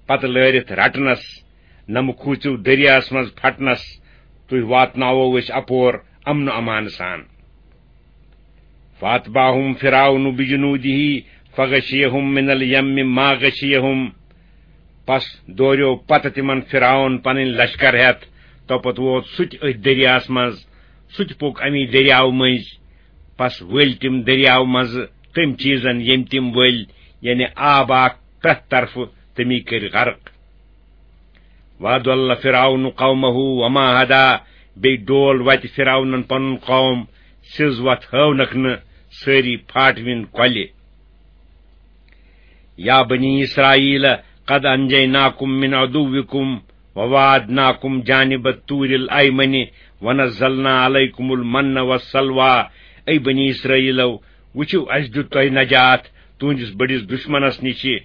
پتہٕ لٲرِتھ رٹنس، نہ مہٕ کھوٗژِو دٔریاہس منٛز پھٹنس۔ تُہۍ واتناوو أسۍ اپور امن و امان سان۔ فاتبعہم فرعون بجنودہ فغشیہم من الیم ما غشیہم۔ پس دوریو پتہٕ تِمن فرعون پنٕنۍ لشکر ہٮ۪تھ۔ توپتہٕ ووت سُہ تہِ أتھۍ دٔریاہس منٛز، سُہ تہِ پوٚک امی دٔریاو مٔنٛزۍ۔ پس ؤلۍ تِم دٔریاو منٛزٕ تٔمۍ چیٖزن ییٚمۍ تِم ؤلۍ، یعنی آب آکھ پرٛٮ۪تھ طرفہٕ، تٔمی کٔرۍ غرق۔ وَأَضَلَّ فِرْعَوْنُ قَوْمَهُ وَمَا هَدَىٰ۔ بیٚیہِ ڈول وَتہِ فِرعونن پنُن قوم، سیٚز وَتھ ہٲونکھ نہٕ، سٲری پھاٹوِن کۄلہِ۔ يَا بَنِي إِسْرَائِيلَ قَدْ أَنْجَيْنَاكُمْ مِنْ عَدُوِّكُمْ وَوَاعَدْنَاكُمْ جَانِبَ الطُّورِ الْأَيْمَنِ وَنَزَّلْنَا عَلَيْكُمُ الْمَنَّ وَالسَّلْوَىٰ۔ اے بنی اسرائیلو، وٕچھِو، اَسہِ دیُت تۄہہِ نجات تُہنٛدِس بٔڑِس دُشمنس نِشہِ۔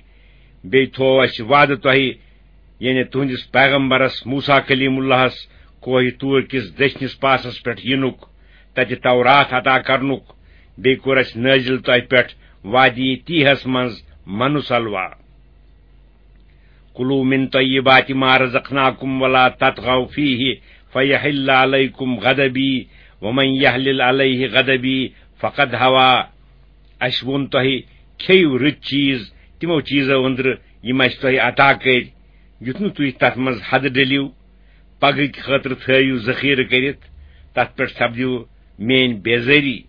بیٚیہِ تھوو اَسہِ وعدٕ تۄہہِ، یعنی تُہنٛدِس پیغمبرس موسیٰ کلیم اللہس، کوہِ طور کِس دٔچھنِس پاسس پٮ۪ٹھ یِنُک، تتہِ تورات عطا کرنُک۔ بیٚیہِ کوٚر اَسہِ نٲزِل تۄہہِ پٮ۪ٹھ وادی تیہس منٛز من و سلویٰ۔ كُلُوا مِنْ طَيِّبَاتِ مَا رَزَقْنَاكُمْ وَلَا تَطْغَوْا فِيهِ فَيَحِلَّ عَلَيْكُمْ غَضَبِي وَمَنْ يَحْلِلْ عَلَيْهِ غَضَبِي فَقَدْ هَوَىٰ۔ اَسہِ ووٚن تۄہہِ، کھیٚیِو رٕتۍ چیٖز تِمو چیٖزو أنٛدرٕ یِم اَسہِ تۄہہِ عطا کٔرۍ، یُتھ نہٕ تُہۍ تَتھ منٛز حدٕ ڈٔلِو۔ پگہٕکۍ خٲطرٕ تھٲوِو ذخیرٕ کٔرِتھ، تَتھ پٮ۪ٹھ سپدِو میٛٲنۍ بیزٲری۔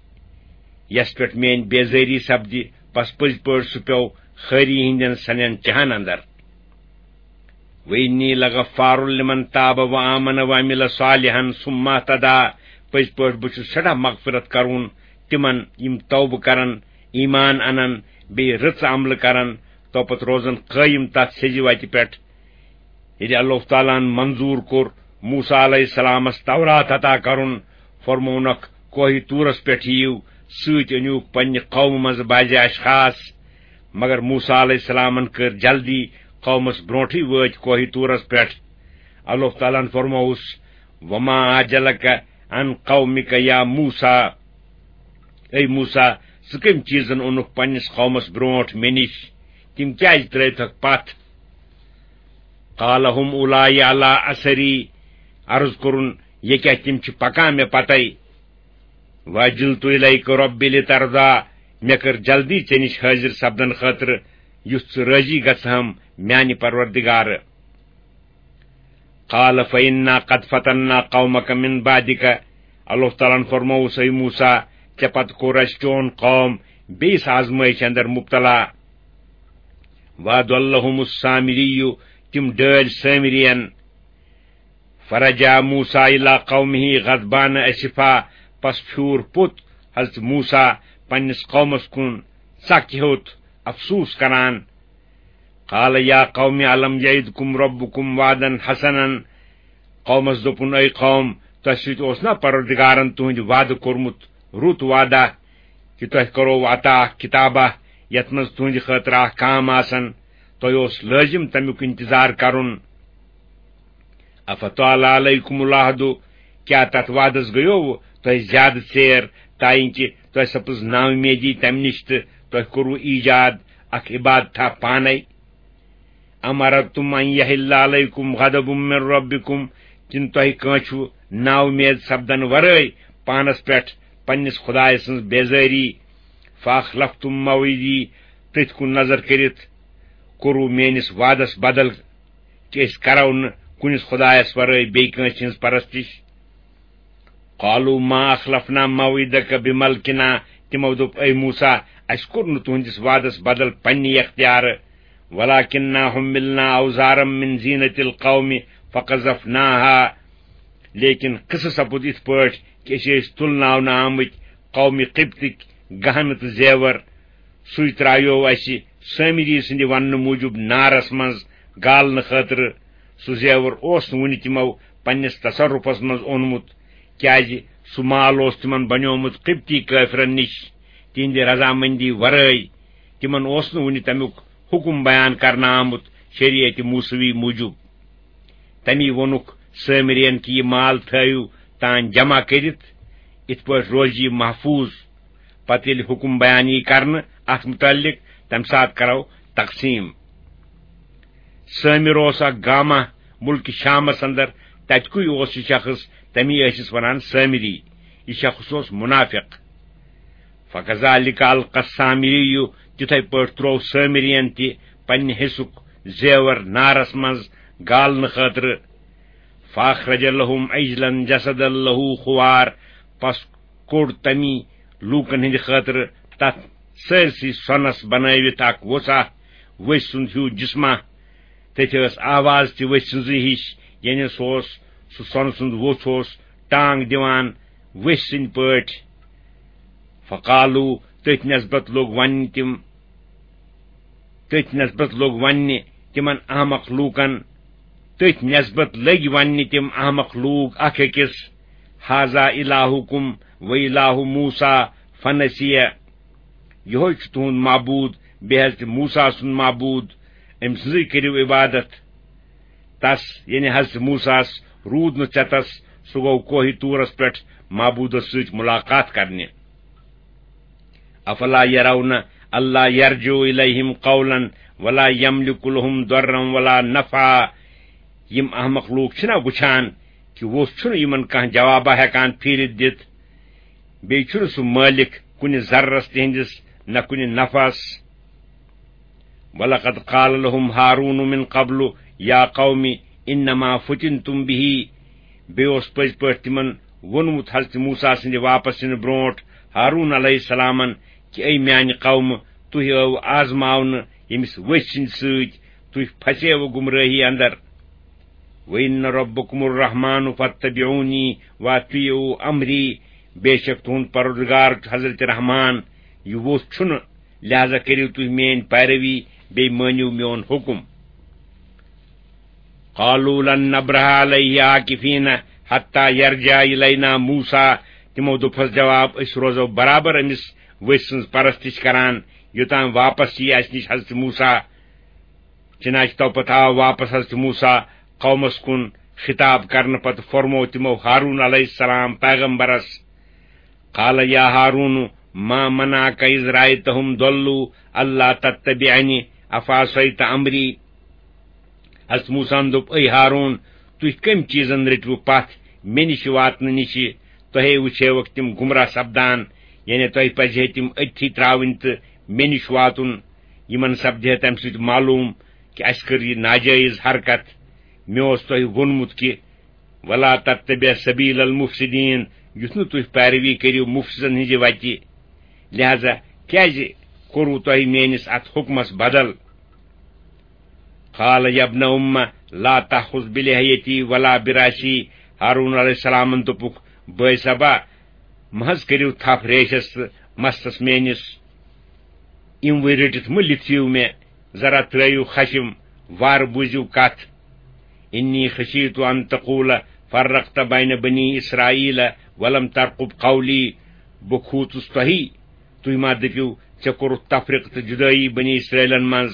یَس پٮ۪ٹھ میٛٲنۍ بیزٲری سپدِ، پس پٔزۍ پٲٹھۍ سُہ پیوٚو خٲری ہٕنٛدٮ۪ن سنٮ۪ن چاہن اندر۔ وَإِنِّي لَغَفَّارٌ لِمَنْ تَابَ وَآمَنَ وَعَمِلَ صَالِحًا ثُمَّ اهْتَدَىٰ۔ پٔزۍ پٲٹھۍ بہٕ چھُس سٮ۪ٹھاہ مغفرت کرون تِمن یِم توبہٕ کرن، ایمان انن، بیٚیہِ رٕژ عملہٕ کرن، توپتہٕ روزن قٲیِم تتھ سیٚزِ وتہِ پٮ۪ٹھ۔ ییٚلہِ اللہ تعالیٰ ہن منظوٗر کوٚر موسیٰ علیہ السلامس تورات عطا کرُن، فرمونکھ، کوہِ طورس پٮ۪ٹھ یِیِو، سۭتۍ أنِوکھ پننہِ قومہٕ منٛزٕ بعضِ اشخاص۔ مگر موسیٰ علیہ السلامن کٔر جلدی، قومس برونٹھٕے وٲتۍ کوہِ طورس پٮ۪ٹھ۔ اللہ تعالیٰ ہن فرمووُس، "وما عجلک عن قومک یا موسیٰ"، اے موسیٰ، ژٕ کٔمۍ چیٖزن اوٚنُکھ پننِس قومس برونٹھ مےٚ نِش؟ تِم کیازِ ترٲوتھکھ پتھ؟ قال هم اولائی علی اثری، عرض کوٚرُن، یہِ کیٛاہ، تِم چھِ پکان مےٚ پتے۔ وعجلت الیک رب لترضی، مےٚ کٔر جلدی ژےٚ نِش حٲضِر سپدن خٲطرٕ، یُتھ ژٕ رٲضی گژھہم میانہِ پروردگارٕ۔ قال فإنا قد فتنا قومک من بعدک، اللہ تعالیٰ ہن فرمووُس، اے موسیٰ، ژےٚ پتہٕ کوٚر اسہِ چون قوم بیٚیِس آزمٲیشہِ اندر مبتلا۔ وأضلهم السامري، تِم ڈٲلۍ سامرین۔ فرجع موسیٰ الی قومہ غضبان اسفا، پس پھیوٗر پوٚت حضرت موسیٰ پننِس قومس کُن ژکھ ہیوٚت، افسوس کران۔ قال یا قوم الم یعدکم ربکم وعدا حسنا، قومس دوٚپُن، اے قوم، تۄہہِ سۭتۍ اوس نا پروردگارن تُہنٛدِ وعدٕ کوٚرمُت رُت وعدہ، کہِ تۄہہِ کرو عطا اکھ کتابہ، یتھ منٛز تُہنٛدِ خٲطرٕ اکھ کام آسن، تۄہہِ اوس لٲزم تمیُک انتظار کرُن۔ افطال علیکم العہد، کیٛاہ تتھ وعدس گٔیوٕ تۄہہِ زیادٕ ژیر، تاینکہِ تۄہہِ سپٕز ناامیدی تمہِ نِش تہٕ تۄہہِ کوٚروٕ ایجاد اکھ عبادتھا پانے؟ ام اردتم ان یحل علیکم غضب من ربکم، کِنہٕ تۄہہِ کٲنٛسہِ چھُو ناامید سپدن ورٲے پانس پٮ۪ٹھ پننِس خدایہِ سٕنٛز بیزٲری؟ فاخلفتم موعدی، تٔتھۍ کُن نظر کٔرِتھ کوٚروٕ میٲنِس وعدس بدل، کہِ أسۍ کرو نہٕ کُنِس خدایس ورٲے بیٚیہِ کٲنٛسہِ ہٕنٛز پرستش۔ قالوا ما اخلفنا موعدک بملکنا، تِمو دوٚپ، اے موسیٰ، اسہِ کوٚر نہٕ تُہنٛدِس وعدس بدل پننہِ اختیارٕ، ولکننا حملنا اوزارا من زینت القوم فقذفناها، لیکن قصہٕ سپُد یِتھ پٲٹھۍ کہِ أسۍ ٲسۍ تُلناونہٕ آمٕتۍ قومِ قبطٕکۍ گہنہٕ تہٕ زیور، سُے ترٛایوو اَسہِ سٲمری سٕنٛدِ وننہٕ موٗجوٗب نارس منٛز گالنہٕ خٲطرٕ۔ سُہ زیور اوس نہٕ وُنہِ تِمو پننِس تصرفس منٛز اونمُت، کیازِ سُہ مال اوس تِمن بنیومُت قبطی کٲفرن نِش تِہنٛدِ رضامندی ورٲے۔ تِمن اوس نہٕ وُنہِ تمیُک حکم بیان کرنہٕ آمُت شریعت موسوی موٗجوٗب۔ تمی ووٚنُکھ سٲمرین کہِ یہِ مال تھٲیِو تان جمع کٔرِتھ، یِتھ پٲٹھۍ روزِ یہِ محفوظ۔ پتہٕ ییٚلہِ حکم بیان یی کرنہٕ اتھ متعلق، تمہِ ساتہٕ کرو تقسیٖم۔ سٲمر اوس اکھ گامہ ملکہِ شامس اندر، تتہِ کُے اوس یہِ شخص، تمی ٲسِس ونان سٲمری۔ یہِ شخص اوس منافق۔ فکذالک القی السامری، تِتھے پٲٹھۍ تروو سٲمرین تہِ پننہِ حصُک زیور نارس منٛز گالنہٕ خٲطرٕ۔ فاخرج لهم عجلا جسدا له خوار، پس کوٚڑ تمی لوٗکن ہٕنٛدِ خٲطرٕ تتھ سٲرسٕے سۄنس بنٲوِتھ اکھ ووژھا، ؤسۍ سُنٛد ہیوٗ جسمہ۔ تٔتھۍ ٲس آواز تہِ ؤسۍ سٕنٛزٕے ہِش، یعنی سُہ اوس، سُہ سۄنہٕ سُنٛد ووٚژھ اوس ٹانگ دِوان ؤسۍ سٕنٛدۍ پٲٹھۍ۔ فقالوا، تٔتھۍ نسبت لوٚگ وننہِ تِم، تٔتھۍ نسبت لوٚگ وننہِ تِمن احمق لوٗکن، تٔتھۍ نسبت لٔگۍ وننہِ تِم احمق لوٗکھ اکھ أکِس، هذا الہکم و الہ موسیٰ فنسیہ، یِہوے چھُ تُہُنٛد معبوٗد، بیٚیہِ حضرت موسیٰ سُنٛد معبوٗد، أمۍ سٕنٛزٕے کٔرِو عبادت۔ تس، یعنی حضرت موسیٰ ہس، روٗد نہٕ ژٮ۪تس، سُہ گوٚو کوہہِ طورس پٮ۪ٹھ معبوٗدس سۭتۍ ملاقات کرنہِ۔ افلا یرون اللہ یرجع الیہم قولا ولا یملک لہم ضرا ولا نفعا۔ یِم احمق لوٗکھ چھِنا وٕچھان کہِ ووٚژھ چھُنہٕ یِمن کانٛہہ جوابا ہٮ۪کان پھیٖرِتھ دِتھ، بیٚیہِ چھُنہٕ سُہ مٲلِک کُنہِ ضررس تِہنٛدِس نہ کُنہِ نفعس۔ ولقد قال لهم هارون من قبل یا قوم انما فتنتم به۔ بیٚیہِ اوس پٔزۍ پٲٹھۍ تِمن ووٚنمُت حضرت موسیٰ سٕنٛدِ واپس یِنہٕ برونٛٹھ ہارون علیہ السلامن کہِ اے میانہِ قومہٕ، تُہۍ ٲوٕ آزماونہٕ ییٚمِس ؤژھۍ سٕنٛدِ سۭتۍ، تُہۍ پھسیوٕ گمرٲہی اندر۔ وَإِنَّ رَبَّكُمُ الرَّحْمَٰنُ فَاتَّبِعُونِي وَأَطِيعُوا أَمْرِي، بے شک تُہُنٛد پروردگار چھُ حضرت رحمان، یہِ ووٚژھ چھُنہٕ، لہذا کٔرِو تُہۍ میٲنۍ پیروی، بیٚیہِ مٲنِو میون حُکم۔ قَالُوا لَن نَّبْرَحَ عَلَيْهِ عَاكِفِينَ حَتَّىٰ يَرْجِعَ إِلَيْنَا مُوسَىٰ، تِمو دوٚپہس جواب، أسۍ روزو برابر أمِس ؤژھۍ سٕنٛز پرستش کران، یوٚتام واپس ییہِ اسہِ نِش حضرت موسیٰ۔ چنانچہ تو پتہٕ آو واپس حضرت موسیٰ قومس کُن، خطاب کرنہٕ پتہٕ فرموو تِمو ہارون علیہ السلام پیغمبرس، قال یا ہارون، ما منعک اذ رأیتہم ضلوا اللہ تتبعنی افعصیت امری؟ حضرت موسیٰ ہن دوٚپ، اے ہارون، تُہۍ کٔمۍ چیٖزن رٔٹوٕ پتھ مےٚ نِش واتنہٕ نِش؟ تۄہے وٕچھیوکھ تِم گمراہ سپدان، یعنی تۄہہِ پزِ ہے تِم أتھی ترٛاوٕنۍ تہٕ مےٚ نِش واتُن۔ یِمن سپدِ ہے تمہِ سۭتۍ معلوم کہِ اسہِ کٔر یہِ ناجٲیز حرکت۔ مےٚ اوس تۄہہِ ووٚنمُت کہِ ولا تتبع سبیل المفسدین، یُتھ نہٕ تُہۍ پیروی کٔرِو مفسدن ہٕنٛزِ وتہِ۔ لہذا کیازِ کوٚروٕ تۄہہِ میٲنِس اتھ حکمس بدل؟ قال یا ابن ام لا تأخذ بلحیتی ولا برأسی، ہارون علیہ السلامن دوٚپُکھ، بٲے صٲبا، مہ حظ کٔرِو تھپھ ریشس تہٕ مستس میٲنِس، یِموٕے رٔٹِتھ مہ لِتھِو مےٚ، ذرا ترٲیِو خشم، وارٕ بوٗزِو کتھ۔ انی خشیت ان تقول فرقت بین بنی اسرائیل ولم ترقب قولی، بہٕ کھوٗژُس تۄہی، تُہۍ ما دٔپِو، ژےٚ کوٚرُتھ تفرقہٕ تہٕ جُدٲیی بنی اسرائیلن منٛز،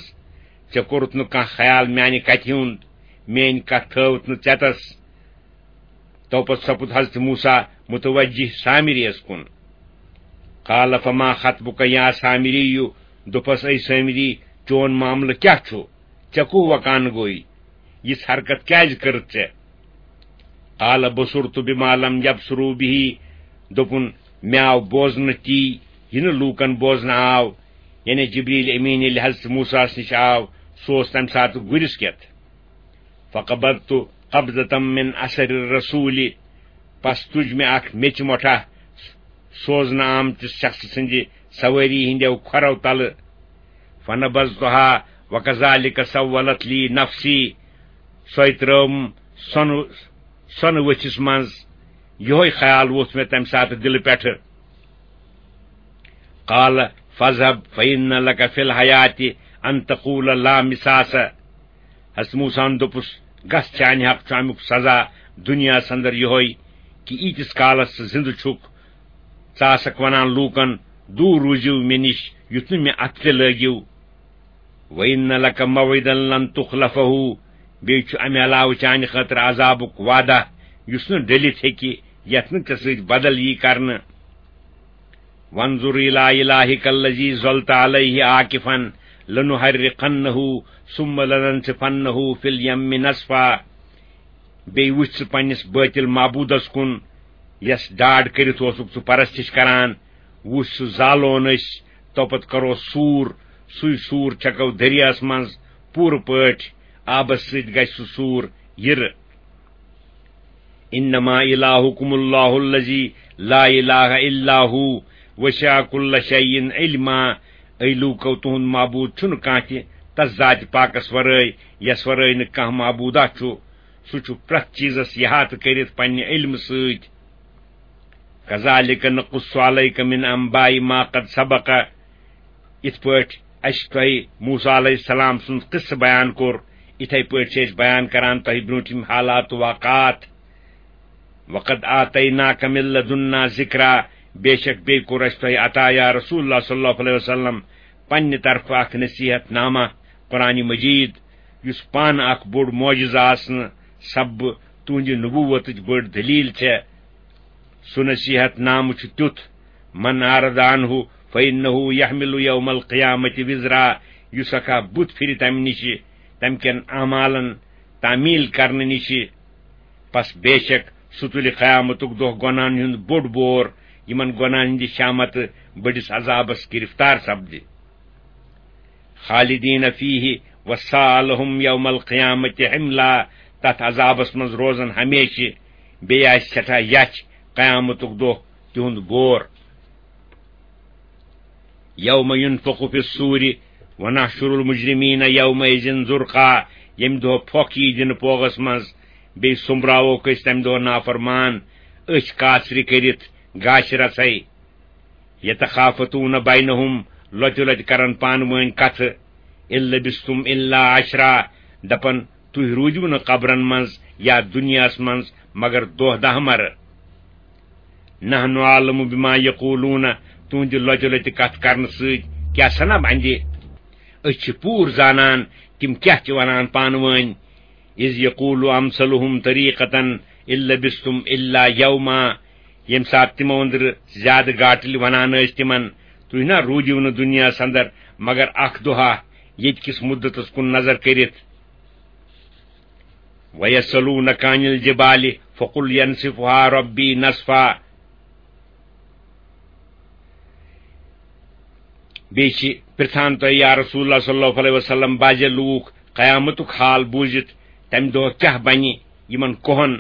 ژےٚ کوٚرُتھ نہٕ کانٛہہ خیال میانہِ کتھِ ہُنٛد، میٲنۍ کتھ تھٲوٕتھ نہٕ ژٮ۪تس۔ توپتہٕ سپُد حضرت موسیٰ متوجہ سامریس کُن۔ قال فما خطبک یا سامری، دوٚپس، اے سامری، چون معاملہٕ کیٛاہ چھُ؟ ژےٚ کوٚہ وکان گوٚے؟ یِژھ حرکت کیٛازِ کٔرٕتھ ژےٚ؟ قال بصرت بما لم یبصروا به، دوٚپُن، مےٚ آو بوزنہٕ تی، یہِ نہٕ لوٗکن بوزنہٕ آو۔ یعنی جبریل امین ییٚلہِ حضرت موسیٰ ہس نِش آو، سُہ اوس تمہِ ساتہٕ گُرِس کٮ۪تھ۔ فقبضت قبضة من اثر الرسول، پس تُج مےٚ اکھ میٚژِ مۄٹھا سوزنہٕ آمتِس شخصہٕ سٕنٛدِ سوٲری ہٕنٛدیو کھۄرو تلہٕ۔ فنبذتها وكذلك سولت لي نفسي، سۄے ترٲوٕم سۄنہٕ، سۄنہٕ ؤتھِس منٛز۔ یِہوے خیال ووٚتھ مےٚ تمہِ ساتہٕ دِلہٕ پٮ۪ٹھٕ۔ قال فاذهب فإن لك في الحياة أن تقول لا مساس۔ حضرت موسیٰ ہن دوٚپُس، گژھ، چانہِ حق چھُ امیُک سزا دُنیاہس اندر یِہوے کہِ ییٖتِس کالس ژٕ زِندٕ چھُکھ، ژٕ آسکھ ونان لوٗکن، دوٗر روٗزِو مےٚ نِش، یُتھ نہٕ مےٚ اتھٕ تہِ لٲگِو۔ وَإِنَّ لَكَ مَوْعِدًا لَنْ تُخْلَفَهُ، بیٚیہِ چھُ امہِ علاوٕ چانہِ خٲطرٕ عذابُک وعدہ، یُس نہٕ ڈٔلِتھ ہیٚکہِ، یتھ نہٕ ژےٚ سۭتۍ بدل یی کرنہٕ۔ وَانْظُرْ إِلَىٰ إِلَٰهِكَ الَّذِي ظَلْتَ عَلَيْهِ عَاكِفًا لَنُحَرِّقَنَّهُ ثُمَّ لَنَنْسِفَنَّهُ فِي الْيَمِّ نَسْفًا۔ بیٚیہِ وٕچھ ژٕ پننِس بٲطِل معبوٗدس کُن، یس ڈاڈ کٔرِتھ اوسُکھ ژٕ پرستش کران۔ وٕچھ، سُہ زالون أسۍ، توپتہٕ کرو سوٗر، سُے سوٗر چھکو دٔریاہس منٛز پوٗرٕ پٲٹھۍ، آبس سۭتۍ گژھِ سُہ سوٗر یِرٕ۔ انما الہکم اللہ الذی لا الہ الا ہو وسع کل شیء علما۔ اے لوٗکو، تُہُنٛد معبوٗد چھُنہٕ کانٛہہ تہِ تس ذاتِ پاکس ورٲے، یس ورٲے نہٕ کانٛہہ معبوٗدا چھُ۔ سُہ چھُ پرٛٮ۪تھ چیٖزس احاطہٕ کٔرِتھ پننہِ علمہٕ سۭتۍ۔ کذالک نقص علیک من انباء ما قد سبق۔ یِتھ پٲٹھۍ اسہِ تۄہہِ موسیٰ علیہ السلام سُنٛد قصہٕ بیان کوٚر، یِتھے پٲٹھۍ چھِ أسۍ بیان کران تۄہہِ برٛونٛٹھِم حالات تہٕ واقعات۔ وقد آتیناک من لدنا ذکرا، بے شک بیٚیہِ کوٚر اسہِ تۄہہِ عطا یا رسول اللہ صلی اللہ علیہ وسلم پننہِ طرفہٕ اکھ نصیحت نامہ قرآن مجید، یُس پانہٕ اکھ بوٚڑ معجزٕ آسنہٕ سببہٕ تُہنٛدِ نبوتٕچ بٔڑ دلیل چھےٚ۔ سُہ نصیحت نامہٕ چھُ تیُتھ، من اعرض عنہ فإنه يحمل يوم القيامة وزرا، یُس اکھا بُتھ پھِرِ تمہِ نِشہِ، تمہِ کٮ۪ن اعمالن تعمیل کرنہٕ نِشہِ، پس بے شک سُہ تُلہِ قیامتُک دۄہ گۄناہن ہُنٛد بوٚڑ بور، یِمن گۄناہن ہٕنٛدِ شامتہٕ بٔڑِس عذابس گرفتار سپدِ۔ خالدین فیہ وساء لہم یوم القیامت حملا، تتھ عذابس منٛز روزن ہمیشہِ، بیٚیہِ آسہِ سٮ۪ٹھاہ یچھ قیامتُک دۄہ تِہُنٛد بور۔ یوم ینفخ فی الصور ونحشر المجرمین یومئذ زرقا، ییٚمہِ دۄہ پھۄکھ یی دِنہٕ پوغس منٛز، بیٚیہِ سوٚمبراووکھ أسۍ تمہِ دۄہ نافرمان أچھ کاسرِ کٔرِتھ گاشہِ رژھے۔ یتخافتون بینہم، لۄتہِ لۄتہِ کرن پانہٕ وٲنۍ کتھٕ۔ ان لبثتم الا عشرا، دپن، تُہۍ روٗدِو نہٕ قبرن منٛز یا دُنیاہس منٛز مگر دۄہ دہ مرٕ۔ نحن اعلم بما یقولون، تُہنٛدِ لۄتہِ لۄتہِ کتھ کرنہٕ سۭتۍ کیٛاہ سنا بندِ؟ أسۍ چھِ پوٗرٕ زانان تِم کیٛاہ چھِ ونان پانہٕ وٲنۍ۔ اذ یقول امثلهم طریقة ان لبثتم الا یوما، ییٚمہِ ساتہٕ تِمو أنٛدرٕ زیادٕ گاٹٕلۍ ونان ٲسۍ تِمن، "تُہۍ نا روٗدِو نہٕ دُنیاہس اندر مگر اکھ دۄہا، ییٚتہِ کِس مُدتس کُن نظر کٔرِتھ۔" وَيَسْأَلُونَكَ عَنِ الْجِبَالِ فَقُلْ يَنْسِفُهَا رَبِّي نَسْفًا۔ بیٚیہِ چھِ پرٛژھان تۄہہِ، یا رسول اللہ صلی اللہ علیہ وسلم، بعضے لوٗکھ قیامتُک حال بوٗزِتھ، تَمہِ دۄہ کیٛاہ بَنہِ یِمَن کوہَن؟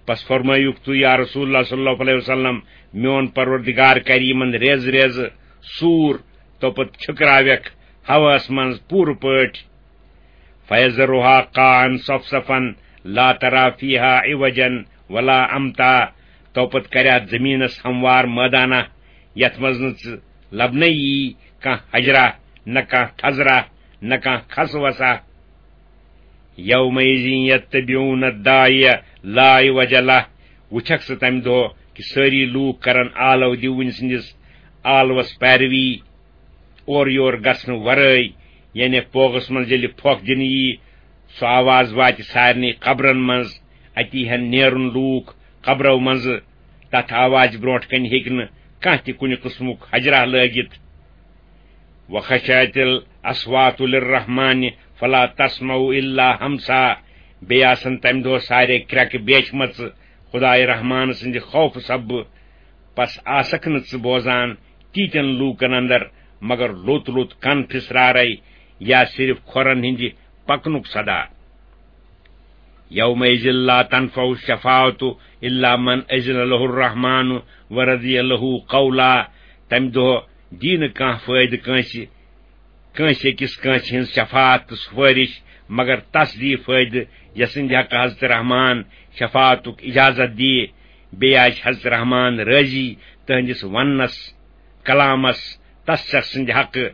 پس فرمٲیُکھ تُہۍ، یا رسول اللہ صلی اللہ علیہ وسلم، میون پروردگار کَرِ یِمَن ریزٕ ریزٕ سوٗر، تو پتہٕ چھٔکراوٮ۪کھ ہوہَس منٛز پوٗرٕ پٲٹھۍ۔ فَيَذَرُهَا قَاعًا صَفْصَفًا لَا تَرَىٰ فِيهَا عِوَجًا وَلَا أَمْتًا۔ تو پتہٕ کرِ اتھ زمینس ہموار مٲدانہ، یتھ منٛز نہٕ ژٕ لبنے یی کانٛہہ حجرہ، نہ کانٛہہ تھزرہ، نہ کانٛہہ کھس وسا۔ یومئذ یتبعون الداعی لا عوج لہ۔ وٕچھکھ ژٕ تمہِ دۄہ کہِ سٲری لوٗکھ کرن آلو دیوٕنۍ سٕنٛدِس آلوس پیروی، اورٕ یور گژھنہٕ ورٲے، یعنی پوغس منٛز ییٚلہِ پھۄکھ دِنہٕ یی، سُہ آواز واتہِ سارنٕے قبرن منٛز، اتی ہن نیرُن لوٗکھ قبرو منٛزٕ، تتھ آوازِ برونٛٹھ کنہِ ہیٚکہِ نہٕ کانٛہہ تہِ کُنہِ قٕسمُک حجرہ لٲگِتھ۔ وخشعت الاصوات للرحمن فلا تسمع الا همسا۔ بیٚیہِ آسن تمہِ دۄہ سارے کرٛٮ۪کہٕ بیچھمژٕ خدایہِ رحمان سٕنٛدِ خوفہٕ سببہٕ، پس آسکھ نہٕ ژٕ بوزان تیٖتٮ۪ن لوٗکن اندر مگر لوٚت لوٚت کن پھسرارے یا صرف کھۄرن ہٕنٛدِ پکنُک صدا۔ یومئذ لا تنفع الشفاعة الا من اذن له الرحمن ورضی له قولا۔ تمہِ دۄہ دی نہٕ کانٛہہ فٲیدٕ کٲنٛسہِ، کٲنٛسہِ أکِس کٲنٛسہِ ہٕنٛز شفاعت تہٕ سفٲرِش، مگر تس دی فٲیدٕ، یس سٕنٛدِ حقہٕ حضرت رحمان شفاعتُک اجازت دی۔ بیٚیہِ آسہِ حضرت رحمان رٲضی تہنٛدِس وننس، کلامس، تس شخص سٕنٛدِ حقہٕ۔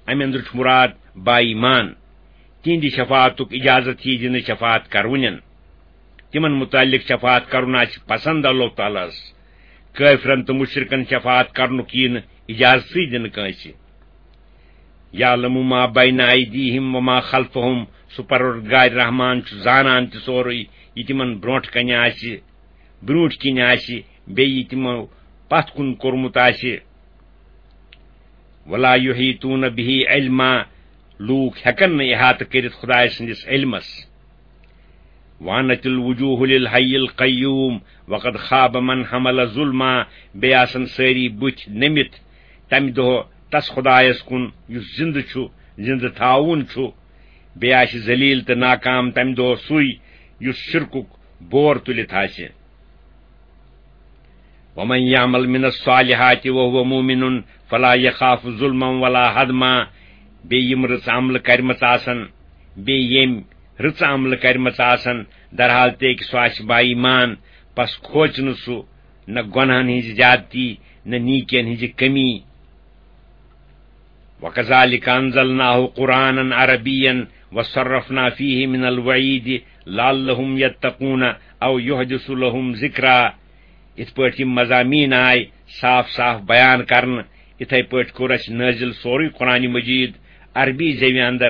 امہِ اندرٕ چھُ مراد با ایمان۔ تِہنٛدِ شفاعتُک اجازت یی دِنہٕ شفاعت کرونٮ۪ن۔ تِمن متعلق شفاعت کرُن آسہِ پسند اللہ تعالیٰ ہس۔ کٲفرن تہٕ مشرکن شفاعت کرنُک یی نہٕ اجازتٕے دِنہٕ کٲنٛسہِ۔ یعلم ما بین ایدیہم وما خلفہم، سُہ پروردگار رحمان چھُ زانان تہِ سورُے، یہِ تِمن برونٛٹھ کنہِ آسہِ، برونٛٹھ کِنۍ آسہِ، بیٚیہِ یہِ تِمو پتھ کُن کوٚرمُت آسہِ۔ ولا یحیطون به علما، لوٗکھ ہٮ۪کن نہٕ احاطہٕ کٔرِتھ خدایہِ سٕنٛدِس علمس۔ وعنت الوجوہ للحی القیوم وقد خاب من حمل ظلما، بیٚیہِ آسن سٲری بُتھۍ نٔمِتھ تمہِ دۄہ تس خدایس کُن یُس زندٕ چھُ، زندٕ تھاوُن چھُ۔ بیٚیہِ آسہِ ذلیل تہٕ ناکام تمہِ دۄہ سُے یُس شرکُک بور تُلِتھ آسہِ۔ ومن یعمل من الصالحات وهو مؤمن فلا یخاف ظلما ولا ہدما۔ بیٚیہِ یِم رٕژ عملہٕ کرِمژٕ آسن، بیٚیہِ ییٚمۍ رٕژ عملہٕ کرِمژٕ آسن، درحال تہِ کہِ سُہ آسہِ با ایمان، پس کھوژِ نہٕ سُہ نہ گۄنہن ہٕنٛزِ زیادتی، نہ نیٖکین ہٕنٛزِ کمی۔ وَكَذَلِكَ أَنزَلْنَاهُ قُرْآنًا عَرَبِيًّا وَصَرَّفْنَا فِيهِ مِنَ الْوَعِيدِ لَعَلَّهُمْ يَتَّقُونَ أَوْ يُحْدِثُ لَهُمْ ذِكْرًا۔ یِتھ پٲٹھۍ یِم مضامین آے صاف صاف بیان کرنہٕ، یِتھے پٲٹھۍ کوٚر اَسہِ نٲزِل سورُے قرآن مجید عربی زیوِ اندر۔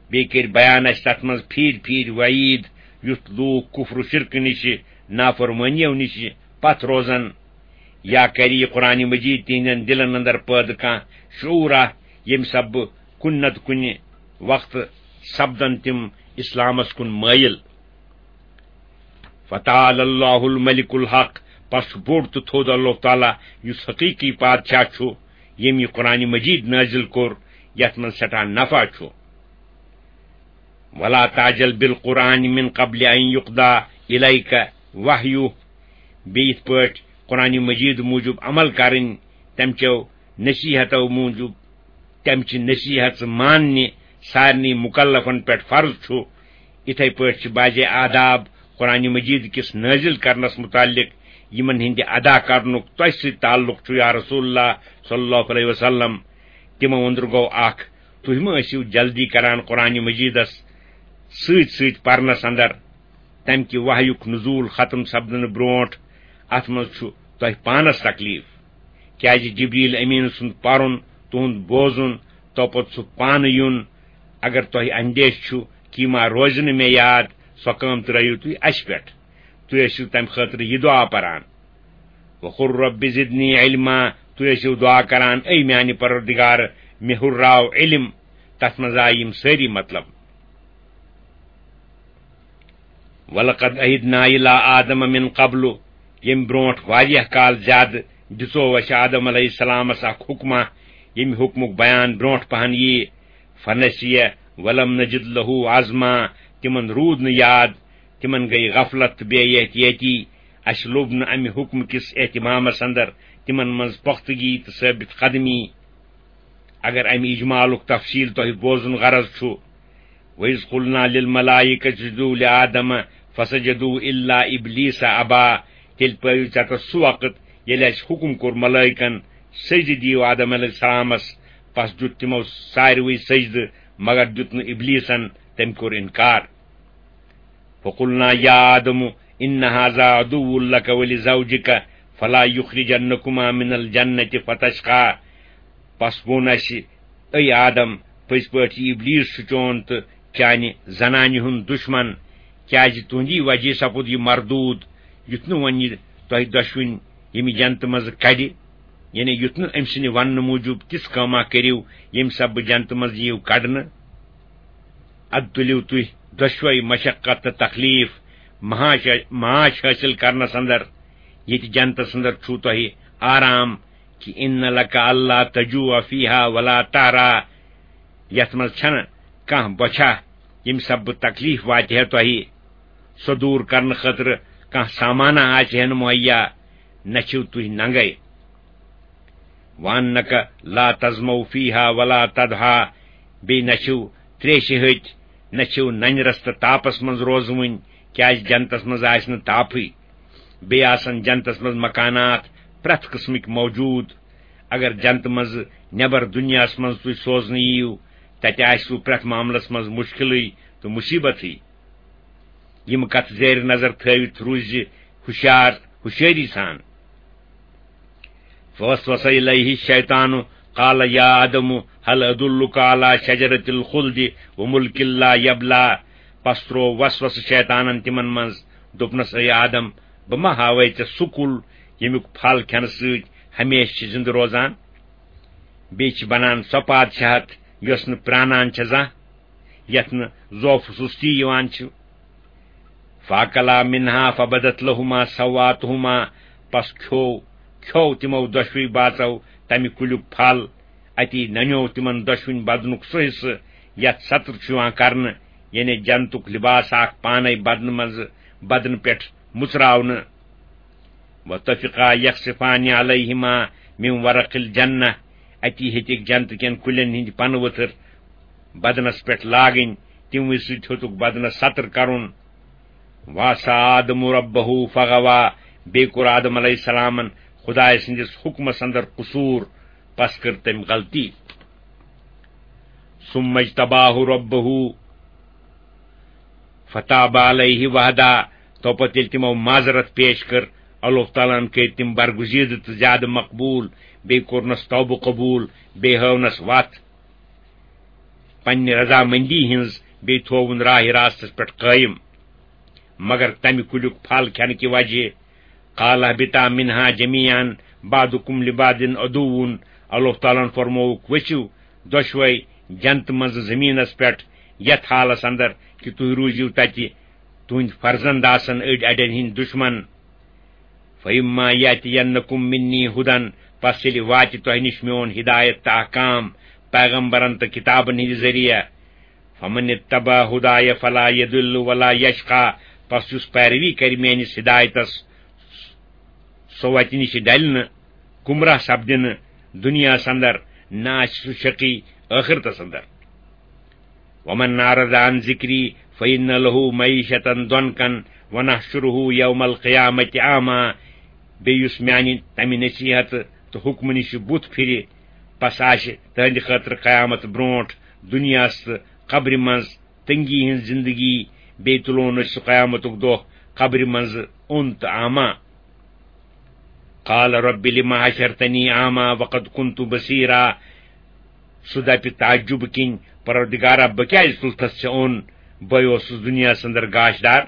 بیٚیہِ کٔرۍ بیان اَسہِ تَتھ منٛز پھیٖرۍ پھیٖرۍ وعیٖد، یُتھ لوٗکھ کُفر و شرکہٕ نِشہِ، نافرمٲنیو نِشہِ پتھ روزن۔ یا کرِ یہِ قرآن مجید تِہنٛدٮ۪ن دِلن اندر پٲدٕ کانٛہہ شعوٗرا، ییٚمہِ سببہٕ کُنہِ نتہٕ کُنہِ وقتہٕ سپدن تِم اسلامس کُن مٲیِل۔ فتعالى الله الملك الحق، پس چھُ بوٚڑ تہٕ تھوٚد اللہ تعالیٰ، یُس حقیقی پادشاہ چھُ، ییٚمۍ یہِ قرآن مجید نٲزِل کوٚر، یتھ منٛز سٮ۪ٹھاہ نفع چھُ۔ ولا تعجل بالقرآن من قبل أن يقضى إليك وحيه۔ بیٚیہِ یِتھ پٲٹھۍ قرآن مجید موٗجوٗب عمل کرٕنۍ، تَمہِ چیو نصیحتو موٗجوٗب، تَمہِ چہِ نصیحت ماننہِ سارنٕے مُکلفن پٮ۪ٹھ فرض چھُ۔ یِتھے پٲٹھۍ چھِ بعضے آداب قرآن مجید کِس نٲزِل کرنس مُتعلق، یِمن ہٕنٛدِ ادا کرنُک تۄہہِ سۭتۍ تعلق چھُ، یا رسول اللہ صلی اللہ علیہ وسلم۔ تِمو أنٛدرٕ گوٚو اکھ، تُہۍ مہ ٲسِو جلدی کران قرآن مجیدس سۭتۍ سۭتۍ پرنس اندر۔ تمہِ کہِ وحیُک نزول ختم سپدنہٕ برونٹھ اتھ منٛز چھُ تۄہہِ پانس تکلیف، کیازِ جبریل امین سُنٛد پرُن، تُہُنٛد بوزُن، توپتہٕ سُہ پانہٕ یُن، اگر تۄہہِ اندیشہٕ چھُ کہِ یہِ ما روزِ نہٕ مےٚ یاد، سۄ کٲم ترٲیِو تُہۍ اَسہِ پٮ۪ٹھ۔ تُہۍ ٲسِو تَمہِ خٲطرٕ یہِ دُعا پَران، وَقُل رَبِّ زِدْنِی عِلْمًا، تُہۍ ٲسِو دُعا کَران، اے میٛانہِ پَروَردِگار، مےٚ ہُرراو علم۔ تَتھ منٛز آیہِ یِم سٲری مطلب۔ وَلَقَدْ عَهِدْنَا إِلَىٰ آدَمَ مِنْ قَبْلُ، ییٚمہِ برٛونٛٹھ واریاہ کال زیادٕ دِژو اَسہِ آدم علیہ السلامَس اَکھ حُکمہ، ییٚمہِ حُکمُک بیان برٛونٛٹھ پَہَن یِیہِ۔ فَنَسِیَ وَلَمْ نَجِدْ لَهُ عَزْمًا، تِمَن روٗد نہٕ یاد، تِمَن گٔیہِ غفلت تہٕ بے احتیٲطی۔ اَسہِ لوٚب نہٕ اَمہِ حُکمہٕ کِس اہتمامَس اَندَر تِمَن منٛز پۄختگی تہٕ ثٲبت قدمی۔ اگر اَمہِ اجمالُک تفصیٖل تۄہہِ بوزُن غرض چھُ، وَإِذْ قُلْنَا لِلْمَلَائِكَةِ اسْجُدُوا لِآدَمَ فَسَجَدُوا إِلَّا إِبْلِيسَ أَبَىٰ، تیٚلہِ پٲوِو ژےٚ تَس سُہ وقت ییٚلہِ اَسہِ حُکُم کوٚر ملٲیکن، سجدٕ دِیِو آدم علیہ السلامس، پس دیُت تِمو ساروٕے سجدٕ، مگر دیُت نہٕ ابلیسن، تٔمۍ کوٚر انکار۔ فَقُلْنَا يَا آدَمُ إِنَّ هَٰذَا عَدُوٌّ لَكَ وَلِزَوْجِكَ فَلَا يُخْرِجَنَّكُمَا مِنَ الْجَنَّةِ فَتَشْقَىٰ۔ پس ووٚن اَسہِ، اے آدم، پٔزۍ پٲٹھۍ یہِ ابلیس چھُ چون تہٕ چانہِ زنانہِ ہُنٛد دُشمن، کیازِ تُہنٛدی وجہ سپُد یہِ مردود، یُتھ نہٕ وۄنۍ یہِ تۄہہِ دۄشوٕنۍ ییٚمہِ جنتہٕ منٛزٕ کڑِ، یعنی یُتھ نہٕ أمۍ سٕنٛدِ وننہٕ موٗجوٗب تِژھ کٲمہ کٔرِو، ییٚمہِ سببہٕ جنتہٕ منٛز یِیِو کڑنہٕ۔ ادٕ تُلِو تُہۍ دۄشوے مشقت تہٕ تکلیف معاش، معاش حٲصِل کرنس اندر، ییٚتہِ جنتس اندر چھُو تۄہہِ آرام، کہ ان لک الا تجوع فیہا ولا تعری، یتھ منٛز چھنہٕ کانٛہہ بۄچھا، ییٚمہِ سببہٕ تکلیف واتہِ ہے تۄہہِ، سۄ دوٗر کرنہٕ خٲطرٕ کانٛہہ سامانہ آسہِ ہے نہٕ مہیا، نہ چھِو تُہۍ ننگے۔ وانک لا تظمؤ فیہا ولا تضحی، بیٚیہِ نہ چھِو تریشہِ ہٕتۍ، نہ چھِو ننرس تہٕ تاپس منٛز روزوٕنۍ، کیازِ جنتس منٛز آسہِ نہٕ تاپھٕے۔ بیٚیہِ آسن جنتس منٛز مکانات پرٛٮ۪تھ قٕسمٕکۍ موجوٗد۔ اگر جنتہٕ منٛزٕ نٮ۪بر دُنیاہس منٛز تُہۍ سوزنہٕ یِیِو، تتہِ آسِوٕ پرٛٮ۪تھ معاملس منٛز مُشکِلٕے تہٕ مُصیبتٕے۔ یِم کتھٕ زیر نظر تھٲوِتھ روٗزِ ہُشیار، ہُشٲری سان۔ فوسوس الیہ الشیطان قال یا آدم هل ادلک علی شجرۃ الخلد وملک لا یبلی۔ پس تروو وسوسہٕ شیطانن تِمن منٛز، دوٚپنس، اے آدم، بہٕ ما ہاوے ژےٚ سُہ کُل، ییٚمیُک پھل کھٮ۪نہٕ سۭتۍ ہمیشہٕ چھِ زِندٕ روزان؟ بیٚیہِ چھِ بنان سۄ پادشاہت، یۄس نہٕ پرانان چھےٚ زانٛہہ، یتھ نہٕ ضعف و سستی یِوان چھُ۔ فاکلا منہا فبدت لہما سواتہما، پس کھیوو، کھیوو تِمو دۄشوٕے باژو تمہِ کُلیُک پھل۔ اتی ننیوو تِمن دۄشوٕنۍ بدنُک سُہ حصہٕ یتھ ستر چھُ یِوان کرنہٕ، یعنی جنتُک لباس اکھ پانے بدنہٕ منٛزٕ بدنہٕ پٮ۪ٹھ مُژراونہٕ۔ وطفقا یخصفان علیہما من ورق الجنہ، اتی ہیٚتِکھ جنتہٕ کٮ۪ن کُلٮ۪ن ہٕنٛدۍ پنہٕ ؤتھٕر بدنس پٮ۪ٹھ لاگٕنۍ، تِموٕے سۭتۍ ہیوٚتُکھ بدنس ستر کرُن۔ وعصی آدم ربہ فغوی، بیٚیہِ کوٚر آدم علیہ السلامن خدایہِ سٕنٛدِس حُکمس اندر قصوٗر، پس کٔر تٔمۍ غلطی۔ ثم اجتباہ ربہ فتاب علیہ وہدی، تو پتہٕ ییٚلہِ تِمو معذرت پیش کٔر، اللہ تعالیٰ ہن کٔرۍ تِم برگزیدٕ تہٕ زیادٕ مقبوٗل، بیٚیہِ کوٚرنس توبہٕ قبوٗل، بیٚیہِ ہٲونس وتھ۔ پننہِ رضامندی ہٕنٛز، بیٚیہِ تھووُن راہِ راستس پٮ۪ٹھ قٲیِم۔ مگر تمہِ کُلیُک پھل کھٮ۪نہٕ کہِ وجہ، قال اہبطا منہا جمیعا بعضکم لبعض عدو، اللہ تعالیٰ ہن فرمووُکھ، ؤسِو دۄشوے جنتہٕ منٛزٕ زٔمیٖنس پٮ۪ٹھ، یتھ حالس اندر کہِ تُہۍ روٗزِو تتہِ تُہنٛدۍ فرزند آسن أڑۍ اڑٮ۪ن ہٕنٛدۍ دُشمن۔ فَإِمَّا يَأْتِيَنَّكُم مِّنِّي هُدًى، پس ییٚلہِ واتہِ تۄہہِ نِش میون ہدایت تہٕ احکام پیغمبرن تہٕ کتابن ہٕنٛدِ ذٔریعہٕ، فَمَنِ اتَّبَعَ هُدَايَ فَلَا يَضِلُّ وَلَا يَشْقَىٰ، پس یُس پیروی کرِ میٲنِس ہدایتس، سُہ وتہِ نِش ڈلہِ نہٕ، گمراہ سپدِ نہٕ دُنیاہس اندر، نہ آسہِ سُہ شقی ٲخرتس اندر۔ وَمَنْ أَعْرَضَ عَنْ ذِكْرِي فَإِنَّ لَهُ مَعِيشَةً ضَنْكًا وَنَحْشُرُهُ يَوْمَ الْقِيَامَةِ أَعْمَىٰ۔ بیٚیہِ یُس میانہِ تمہِ نصیحت تہٕ حُکمہٕ نِش بُتھ پھِرِ، پس آسہِ تہنٛدِ خٲطرٕ قیامت برونٛٹھ دُنیاہس تہٕ قبرِ منٛز تنگی ہٕنٛز زندگی، بیٚیہِ تُلون أسۍ سُہ قیامتُک دۄہ قبرِ منٛزٕ اوٚن تہٕ آما۔ قال رب لم حشرتنی اعمی وقد کنت بصیرا۔ سُہ دپہِ تعجب کِنۍ، پروردگارا، بہٕ کیازِ تُلتھس ژےٚ اوٚن؟ بہٕ اوسُس دُنیاہَس اندر گاشدار۔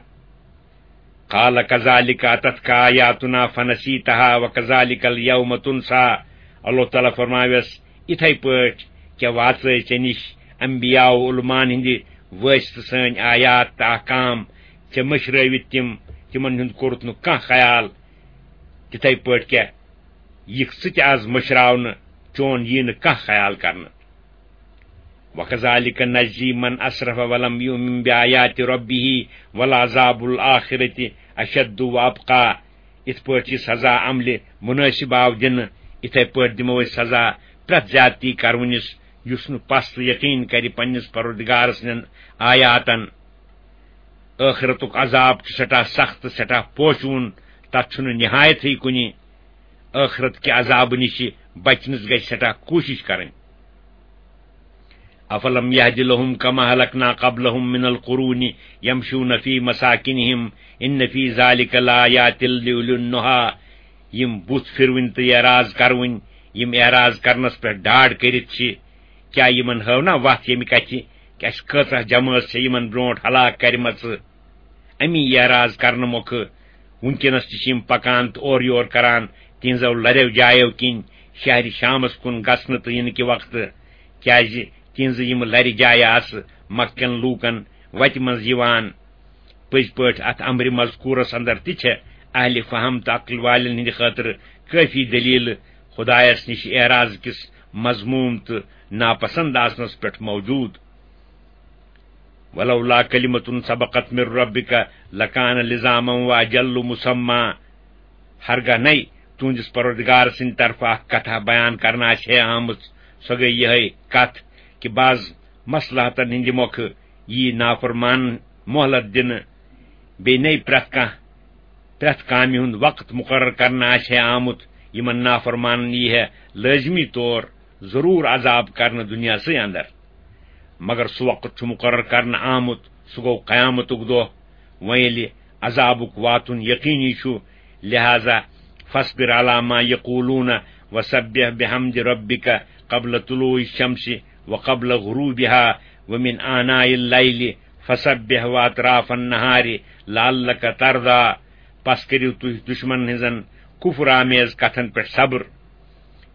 قال كذلك أتتك آياتنا فنسيتها وكذلك اليوم تنسى۔ اللہ تعالیٰ فرماویس، یِتھے پٲٹھۍ کیٛاہ واژے ژےٚ نِش انبیاء و علماءن ہٕنٛدِ وٲسۍ تہٕ سٲنۍ آیات تہٕ احکام، ژےٚ مٔشرٲوِتھ تِم، تِمن ہُنٛد کوٚرُتھ نہٕ کانٛہہ خیال، تِتھے پٲٹھۍ کیٛاہ یِکھ ژٕ تہِ از مٔشراونہٕ، چون یی نہٕ کانٛہہ خیال کرنہٕ۔ وكذلك نجزي من أسرف ولم يؤمن بآيات ربه ولعذاب الآخرة أشد وأبقى۔ یِتھ پٲٹھۍ یہِ سزا عملہِ مُنٲسِب آو دِنہٕ، یِتھے پٲٹھۍ دِمو أسۍ سزا پرٛٮ۪تھ زیادتی کرونِس، یُس نہٕ پس تہٕ یقین کرِ پننِس پروردگار سٕنٛدٮ۪ن آیاتن۔ ٲخرتُک عذاب چھُ سٮ۪ٹھاہ سخت، سٮ۪ٹھاہ پوشوُن، تتھ چھُنہٕ نہایتھٕے کُنہِ۔ ٲخرت کہِ عذابہٕ نِش بچنس گژھِ سٮ۪ٹھاہ کوٗشش کرٕنۍ۔ أفلم يهد لهم كما أهلكنا قبلهم من القرون يمشون في مساكنهم إن في ذلك لآيات لأولي النهى۔ یِم بُتھ پھِروٕنۍ تہٕ اعراض کرٕوٕنۍ، یِم اعراض کرنس پٮ۪ٹھ ڈاڈ کٔرِتھ چھِ، کیٛاہ یِمن ہٲو نا وتھ ییٚمہِ کتھِ کہِ اسہِ کۭژاہ جمٲژ چھےٚ یِمن برونٛٹھ ہلاک کرِمژٕ؟ امی اعراض کرنہٕ مۄکھٕ وُنکیٚنس تہِ چھِ یِم پکان تہٕ اورٕ یور کران تِہنٛزو لریو جایو کِنۍ شہرِ شامس کُن گژھنہٕ تہٕ یِنہٕ کہِ وقتہٕ، کیازِ تِہنٛزٕ یِم لرِ جایہِ آسہٕ مکہ کٮ۪ن لوٗکن وتہِ منٛز یِوان۔ پٔزۍ پٲٹھۍ اتھ امرِ مذکورس اندر تہِ چھےٚ اہلِ فہم تہٕ عقل والٮ۪ن ہٕنٛدِ خٲطرٕ کٲفی دلیلہٕ خدایس نِش اعراض کِس مذموم تہٕ ناپسند آسنس پٮ۪ٹھ موجود۔ ولولا كلمة سبقت من ربك لكان لزاما وأجل مسمى۔ ہرگاہ نے تُہنٛدِس پروردگار سٕنٛدِ طرفہٕ اکھ کتھا بیان کرنہٕ آسہِ ہے آمٕژ، سۄ گٔے یِہے کتھ کہِ بعض مصلحتن ہٕنٛدِ مۄکھٕ یی نافرمان مۄہلت دِنہٕ، بیٚیہِ نے پرٛٮ۪تھ کانٛہہ، پرٛٮ۪تھ کامہِ ہُنٛد وقت مُقرر کرنہٕ آسہِ ہے آمُت، یِمن نافرمانن یی ہے لٲزمی طور ضروٗر عذاب کرنہٕ دُنیاہسٕے اندر۔ مگر سُہ وقت چھُ مُقرر کرنہٕ آمُت، سُہ گوٚو قیامتُک دۄہ۔ وۄنۍ ییٚلہِ عذابُک واتُن یقینی چھُ، لہذا فاصبر على ما يقولون وسبح بحمد ربك قبل طلوع الشمس وقبل غروبها ومن آناء الليل فسبح وأطراف النهار لعلك ترضى۔ پس کٔرِو تُہۍ دُشمنن ہٕنٛزن کفر آمیز کتھن پٮ۪ٹھ صبر۔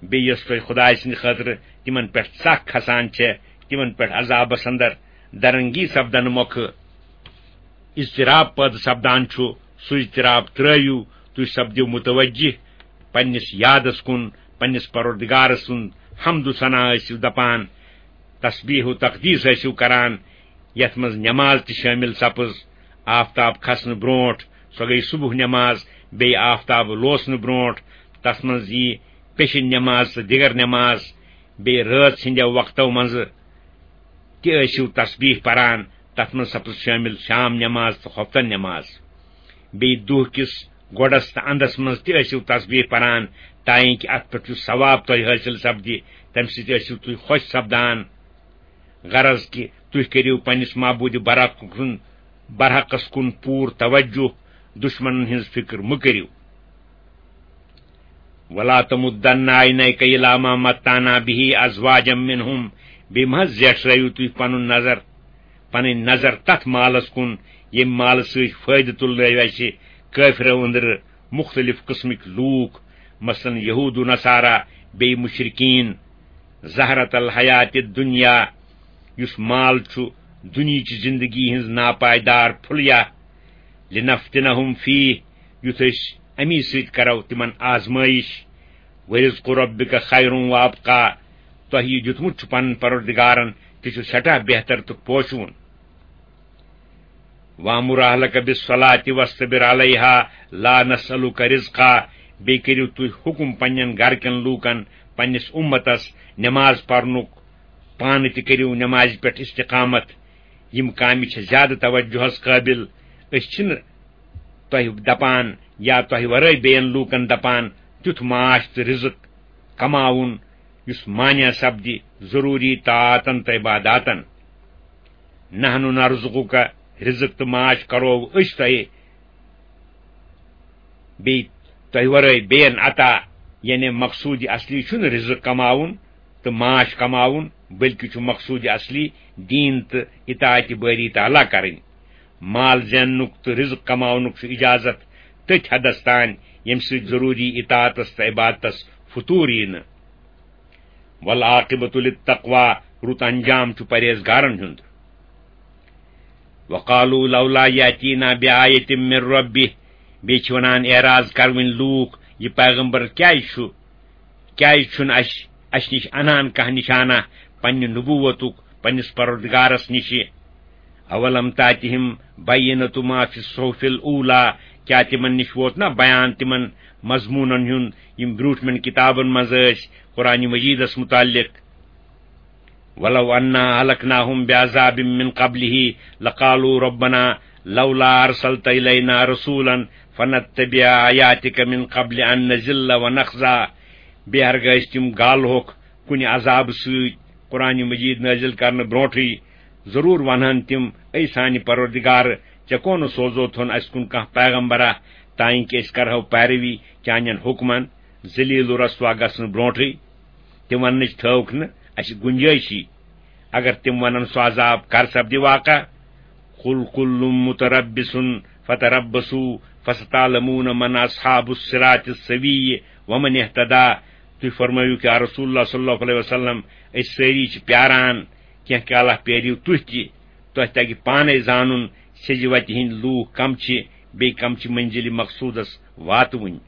بیٚیہِ یۄس تۄہہِ خدایہِ سٕنٛدِ خٲطرٕ تِمن پٮ۪ٹھ ژکھ کھسان چھےٚ، تِمن پٮ۪ٹھ عذابس اندر درنگی سپدنہٕ مۄکھٕ اضطراب پٲدٕ سپدان چھُ، سُہ اضطراب ترٲوِو، تُہۍ سپدِو متوجہ پننِس یادس کُن، پننِس پروردگار سُنٛد حمد و ثنا ٲسِو دپان، تسبیح و تقدیس ٲسِو کران، یتھ منٛز نماز تہِ شٲمِل سپٕز۔ آفتاب کھسنہٕ برونٛٹھ، سۄ گٔیہِ صبح نماز، بیٚیہِ آفتاب لوسنہٕ برونٛٹھ، تتھ منٛز ییہِ پیشن نماز تہٕ دِگر نماز، بیٚیہِ رٲژ ہٕنٛدیو وقتو منٛزٕ تہِ ٲسِو تسبیح پران، تتھ منٛز سپٕز شٲمِل شام نماز تہٕ خۄفتن نماز۔ بیٚیہِ دُہ کِس گۄڈس تہٕ اندس منٛز تہِ ٲسِو تسبیح پران، تاکہ اتھ پٮ۪ٹھ یُس ثواب تۄہہِ حٲصِل سپدِ، تمہِ سۭتۍ ٲسِو تُہۍ خۄش سپدان۔ غرض کہِ تُہۍ کٔرِو پننِس معبوٗدِ برحق کُن، برحقس کُن پوٗرٕ توجہ، دُشمنن ہٕنٛز فِکر مہٕ کٔرِو۔ ولا تمدن عينيك إلى ما متعنا به أزواجا منهم۔ بیٚیہِ مہ حظ زیٹھرٲیِو تُہۍ پنُن نظر، پنٕنۍ نظر تتھ مالس کُن، ییٚمہِ مالہٕ سۭتۍ فٲیدٕ تُلنٲوۍ اسہِ کٲفرو أنٛدرٕ مُختٔلِف قٕسمٕکۍ لوٗکھ، مثلاً یہوٗد و نصارا، بیٚیہِ مُشرِکیٖن۔ زہرة الحیات الدنیا، یُس مال چھُ دُنیہٕچہِ زِندگی ہٕنٛز ناپائیدار پھُلیہ، لنفتنهم فيه، یُتھ أسۍ اَمی سۭتۍ کرو تِمن آزمٲیِش۔ ورزق ربك خير وأبقى، تۄہہِ یہِ دیُتمُت چھُ پنُن پروردگارن، تہِ چھُ سٮ۪ٹھاہ بہتر تہٕ پوشوُن۔ وأمر أهلك بالصلاة واصطبر عليها لا نسألك رزقا، بیٚیہِ کٔرِو تُہۍ حُکُم پننٮ۪ن گرٕ کٮ۪ن لوٗکن، پننِس اُمتس نماز پرنُک، پانہٕ تہِ کٔرِو نمازِ پٮ۪ٹھ استقامت۔ یِم کامہِ چھِ زیادٕ توجہس قٲبِل۔ أسۍ چھِنہٕ تۄہہِ دپان یا تۄہہِ ورٲے بیٚین لوٗکن دپان تیُتھ معاش تہٕ رزق کماوُن یُس مانع سپدِ ضروٗری طاعتن تہٕ عباداتن۔ نحن نرزقك، رزق تہٕ معاش کرو أسۍ تۄہہِ، بیٚیہِ تۄہہِ ورٲے بیٚین عطا، یعنی مقصوٗد اصلی چھُنہٕ رزق کماوُن، تہٕ معاش کماوُن، بلکہِ چھُ مقصوٗد اصلی دیٖن تہٕ اطاعت بٲری تعالیٰ کرٕنۍ۔ مال زیننُک تہٕ رزق کماونُک چھُ اجازت تٔتھۍ حدس تام، ییٚمہِ سۭتۍ ضروٗری اطاعتس تہٕ عبادتس فطور یی نہٕ۔ والعاقبۃ للتقویٰ، رُت انجام چھُ پرہیزگارن ہُنٛد۔ وقالوا لولا يأتينا بآية من ربه، بیٚیہِ چھِ وَنان، اعراض کَروٕنۍ لوٗکھ، یہِ پیغمبر کیٛازِ چھُ، کیٛازِ چھُنہٕ اَسہِ، اَسہِ نِش اَنان کانٛہہ نِشانہ پننہِ نبوتُک پننِس پروردگارس نِشہِ؟ اولم تاتہم بینۃ ما فی الصحف الاولیٰ، کیٛاہ تِمن نِش ووت نہ بیان تِمن مضموٗنن ہُنٛد یِم برٛونٛٹھمٮ۪ن کتابن منٛز ٲسۍ قرآن مجیدس متعلق؟ ولو أنا أهلكناهم بعذاب من قبله لقالوا ربنا لولا أرسلت إلينا رسولا فنتبع آياتك من قبل أن نذل ونخزى۔ بیٚیہِ ہرگاہ أسۍ تِم گالہوکھ کُنہِ عذابہٕ سۭتۍ قرآن مجید نٲزِل کرنہٕ برونٹھٕے، ضروٗر ونہن تِم، اے سانہِ پروردگار، ژےٚ کونہٕ سوزوتھون اسہِ کُن کانٛہہ پیغمبرا، تانۍ کہِ أسۍ کرہو پیروی چانٮ۪ن حُکمن ذلیل و رسوا گژھنہٕ برونٹھٕے؟ تِم وننٕچ تھٲوکھ نہٕ اسہِ گُنجٲیشی۔ اگر تِم ونن سُہ عذاب کر سپدِ واقع، قل كل متربص فتربصوا فستعلمون من أصحاب الصراط السوي ومن اهتدى۔ تُہۍ فرمٲیِو کہ یا رسول اللہ صلی اللہ علیہ وسلم، أسۍ سٲری چھِ پیاران، کینٛہہ کالہ پیٲرِو تُہۍ تہِ، تۄہہِ تگہِ پانے زانُن سیٚزِ وتہِ ہٕنٛدۍ لوٗکھ کم چھِ، بیٚیہِ کم چھِ منزلِ مقصودس واتوٕنۍ۔